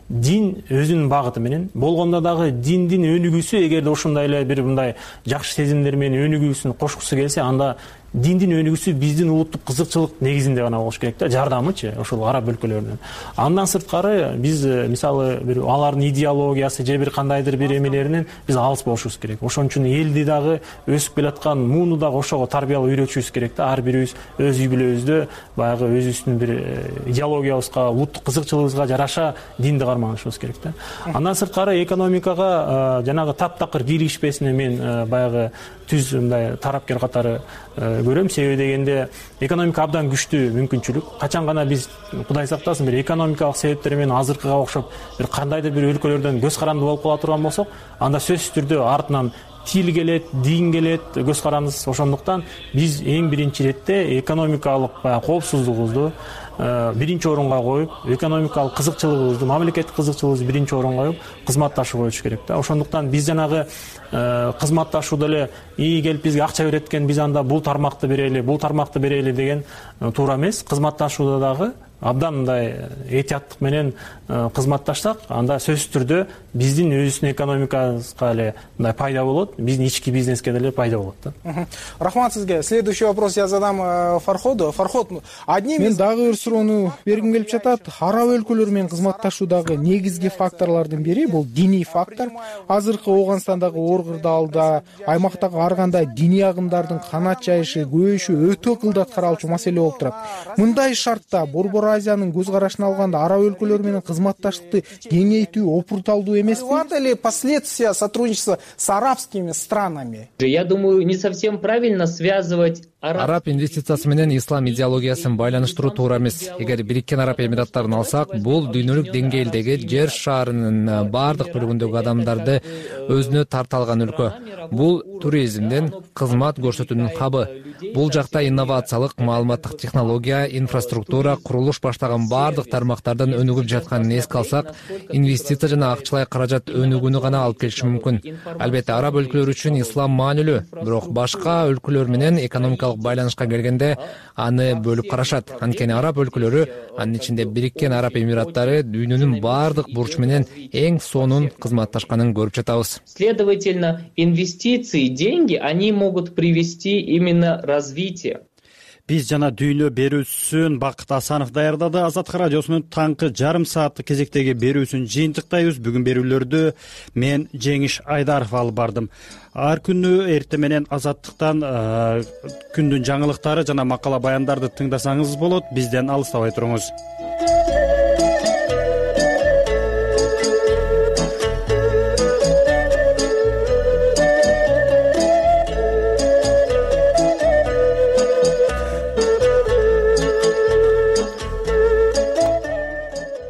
дин өзүнүн багыты менен болгондо дагы диндин өнүгүүсү, эгерде ошондой эле бир мындай жакшы сезимдер менен өнүгүүсүн кошкусу келсе, анда диндин өнүгүүсү биздин улуттук кызыкчылык негизинде гана болуш керек да, жардамычы ошол араб өлкөлөрүнүн. Андан сырткары биз мисалы бир алардын идеологиясы же бир кандайдыр бир эмелеринен биз алыс болушубуз керек. Ошон үчүн элди дагы өсүп келаткан мууну дагы ошого тарбиялап үйрөтүшүбүз керек да. Ар бирибиз өз үй бүлөбүздө баягы өзүбүздүн бир идеологиябызга, улуттук кызыкчылыгыбызга жараша динди карманышыбыз керек да. Андан сырткары экономикага жанагы таптакыр киришпесине мен баягы түз мындай тарапкер катары көрөм. Себеби дегенде экономика абдан күчтүү мүмкүнчүлүк. Качан гана биз Кудай сактасын бир экономикалык себептер менен азыркыга окшоп бир кандайдыр бир өлкөлөрдөн көз каранды болуп кала турган болсок, анда сөзсүз түрдө артынан тил келет, дин келет, көз карандысыз. Ошондуктан биз эң биринчи иретте экономикалык баягы коопсуздугубузду биринчи орунга коюп, экономикалык кызыкчылыгыбызды, мамлекеттик кызыкчылыгыбызды биринчи орунга коюп, кызматташуу болуш керек да. Ошондуктан биз жанагы кызматташууда эле келип бизге акча берет экен, биз анда бул тармакты берели, бул тармакты берели деген туура эмес. Кызматташууда дагы абдан мындай этияттык менен кызматташсак, анда сөзсүз түрдө биздин өзүбүздүн экономикабызга эле мындай пайда болот, биздин ички бизнеске деле пайда болот да. Рахмат сизге. Следующий вопрос я задам Фарходу. Фарход, мен дагы бир суроону бергим келип жатат. Араб өлкөлөр менен кызматташуудагы негизги факторлордун бири бул диний фактор. Азыркы Ооганстандагы оор кырдаалда, аймактагы ар кандай диний агымдардын канат жайышы, көбөйүшү өтө кылдат каралчу маселе болуп турат. Мындай шартта Борбор Азиянын көз карашына алганда араб өлкөлөр менен кызматташтыкты кеңейтүү опурталдуу эмеспи? Ли последствия сотрудничества с арабскими странами? Я думаю, не совсем правильно связывать араб инвестициясы менен ислам идеологиясын байланыштыруу туура эмес. Эгер Бириккен Араб Эмираттарын алсак, бул дүйнөлүк деңгээлдеги жер шарынын баардык бөлүгүндөгү адамдарды өзүнө тарта алган өлкө. Бул туризмден кызмат көрсөтүүнүн хабы. Бул жакта инновациялык, маалыматтык технология, инфраструктура, курулуш баштаган баардык тармактардан өнүгүп жатканын эске алсак, инвестиция жана акчалай каражат өнүгүүнү гана алып келиши мүмкүн. Албетте араб өлкөлөрү үчүн ислам маанилүү, бирок башка өлкөлөр менен экономикалык байланышка келгенде аны бөлүп карашат. Анткени араб өлкөлөрү, анын ичинде Бириккен Араб Эмираттары дүйнөнүн баардык бурчу менен эң сонун кызматташканын көрүп жатабыз. Следовательно, инвестиции, деньги, они могут привести именно развитие. Биз жана дүйнө берүүсүн Бакыт Асанов даярдады. Азаттык радиосунун таңкы жарым сааттык кезектеги берүүсүн жыйынтыктайбыз. Бүгүн берүүлөрдү мен Жеңиш Айдаров алып бардым. Ар күнү эртең менен Азаттыктан күндүн жаңылыктары жана макала баяндарды тыңдасаңыз болот. Бизден алыстабай туруңуз.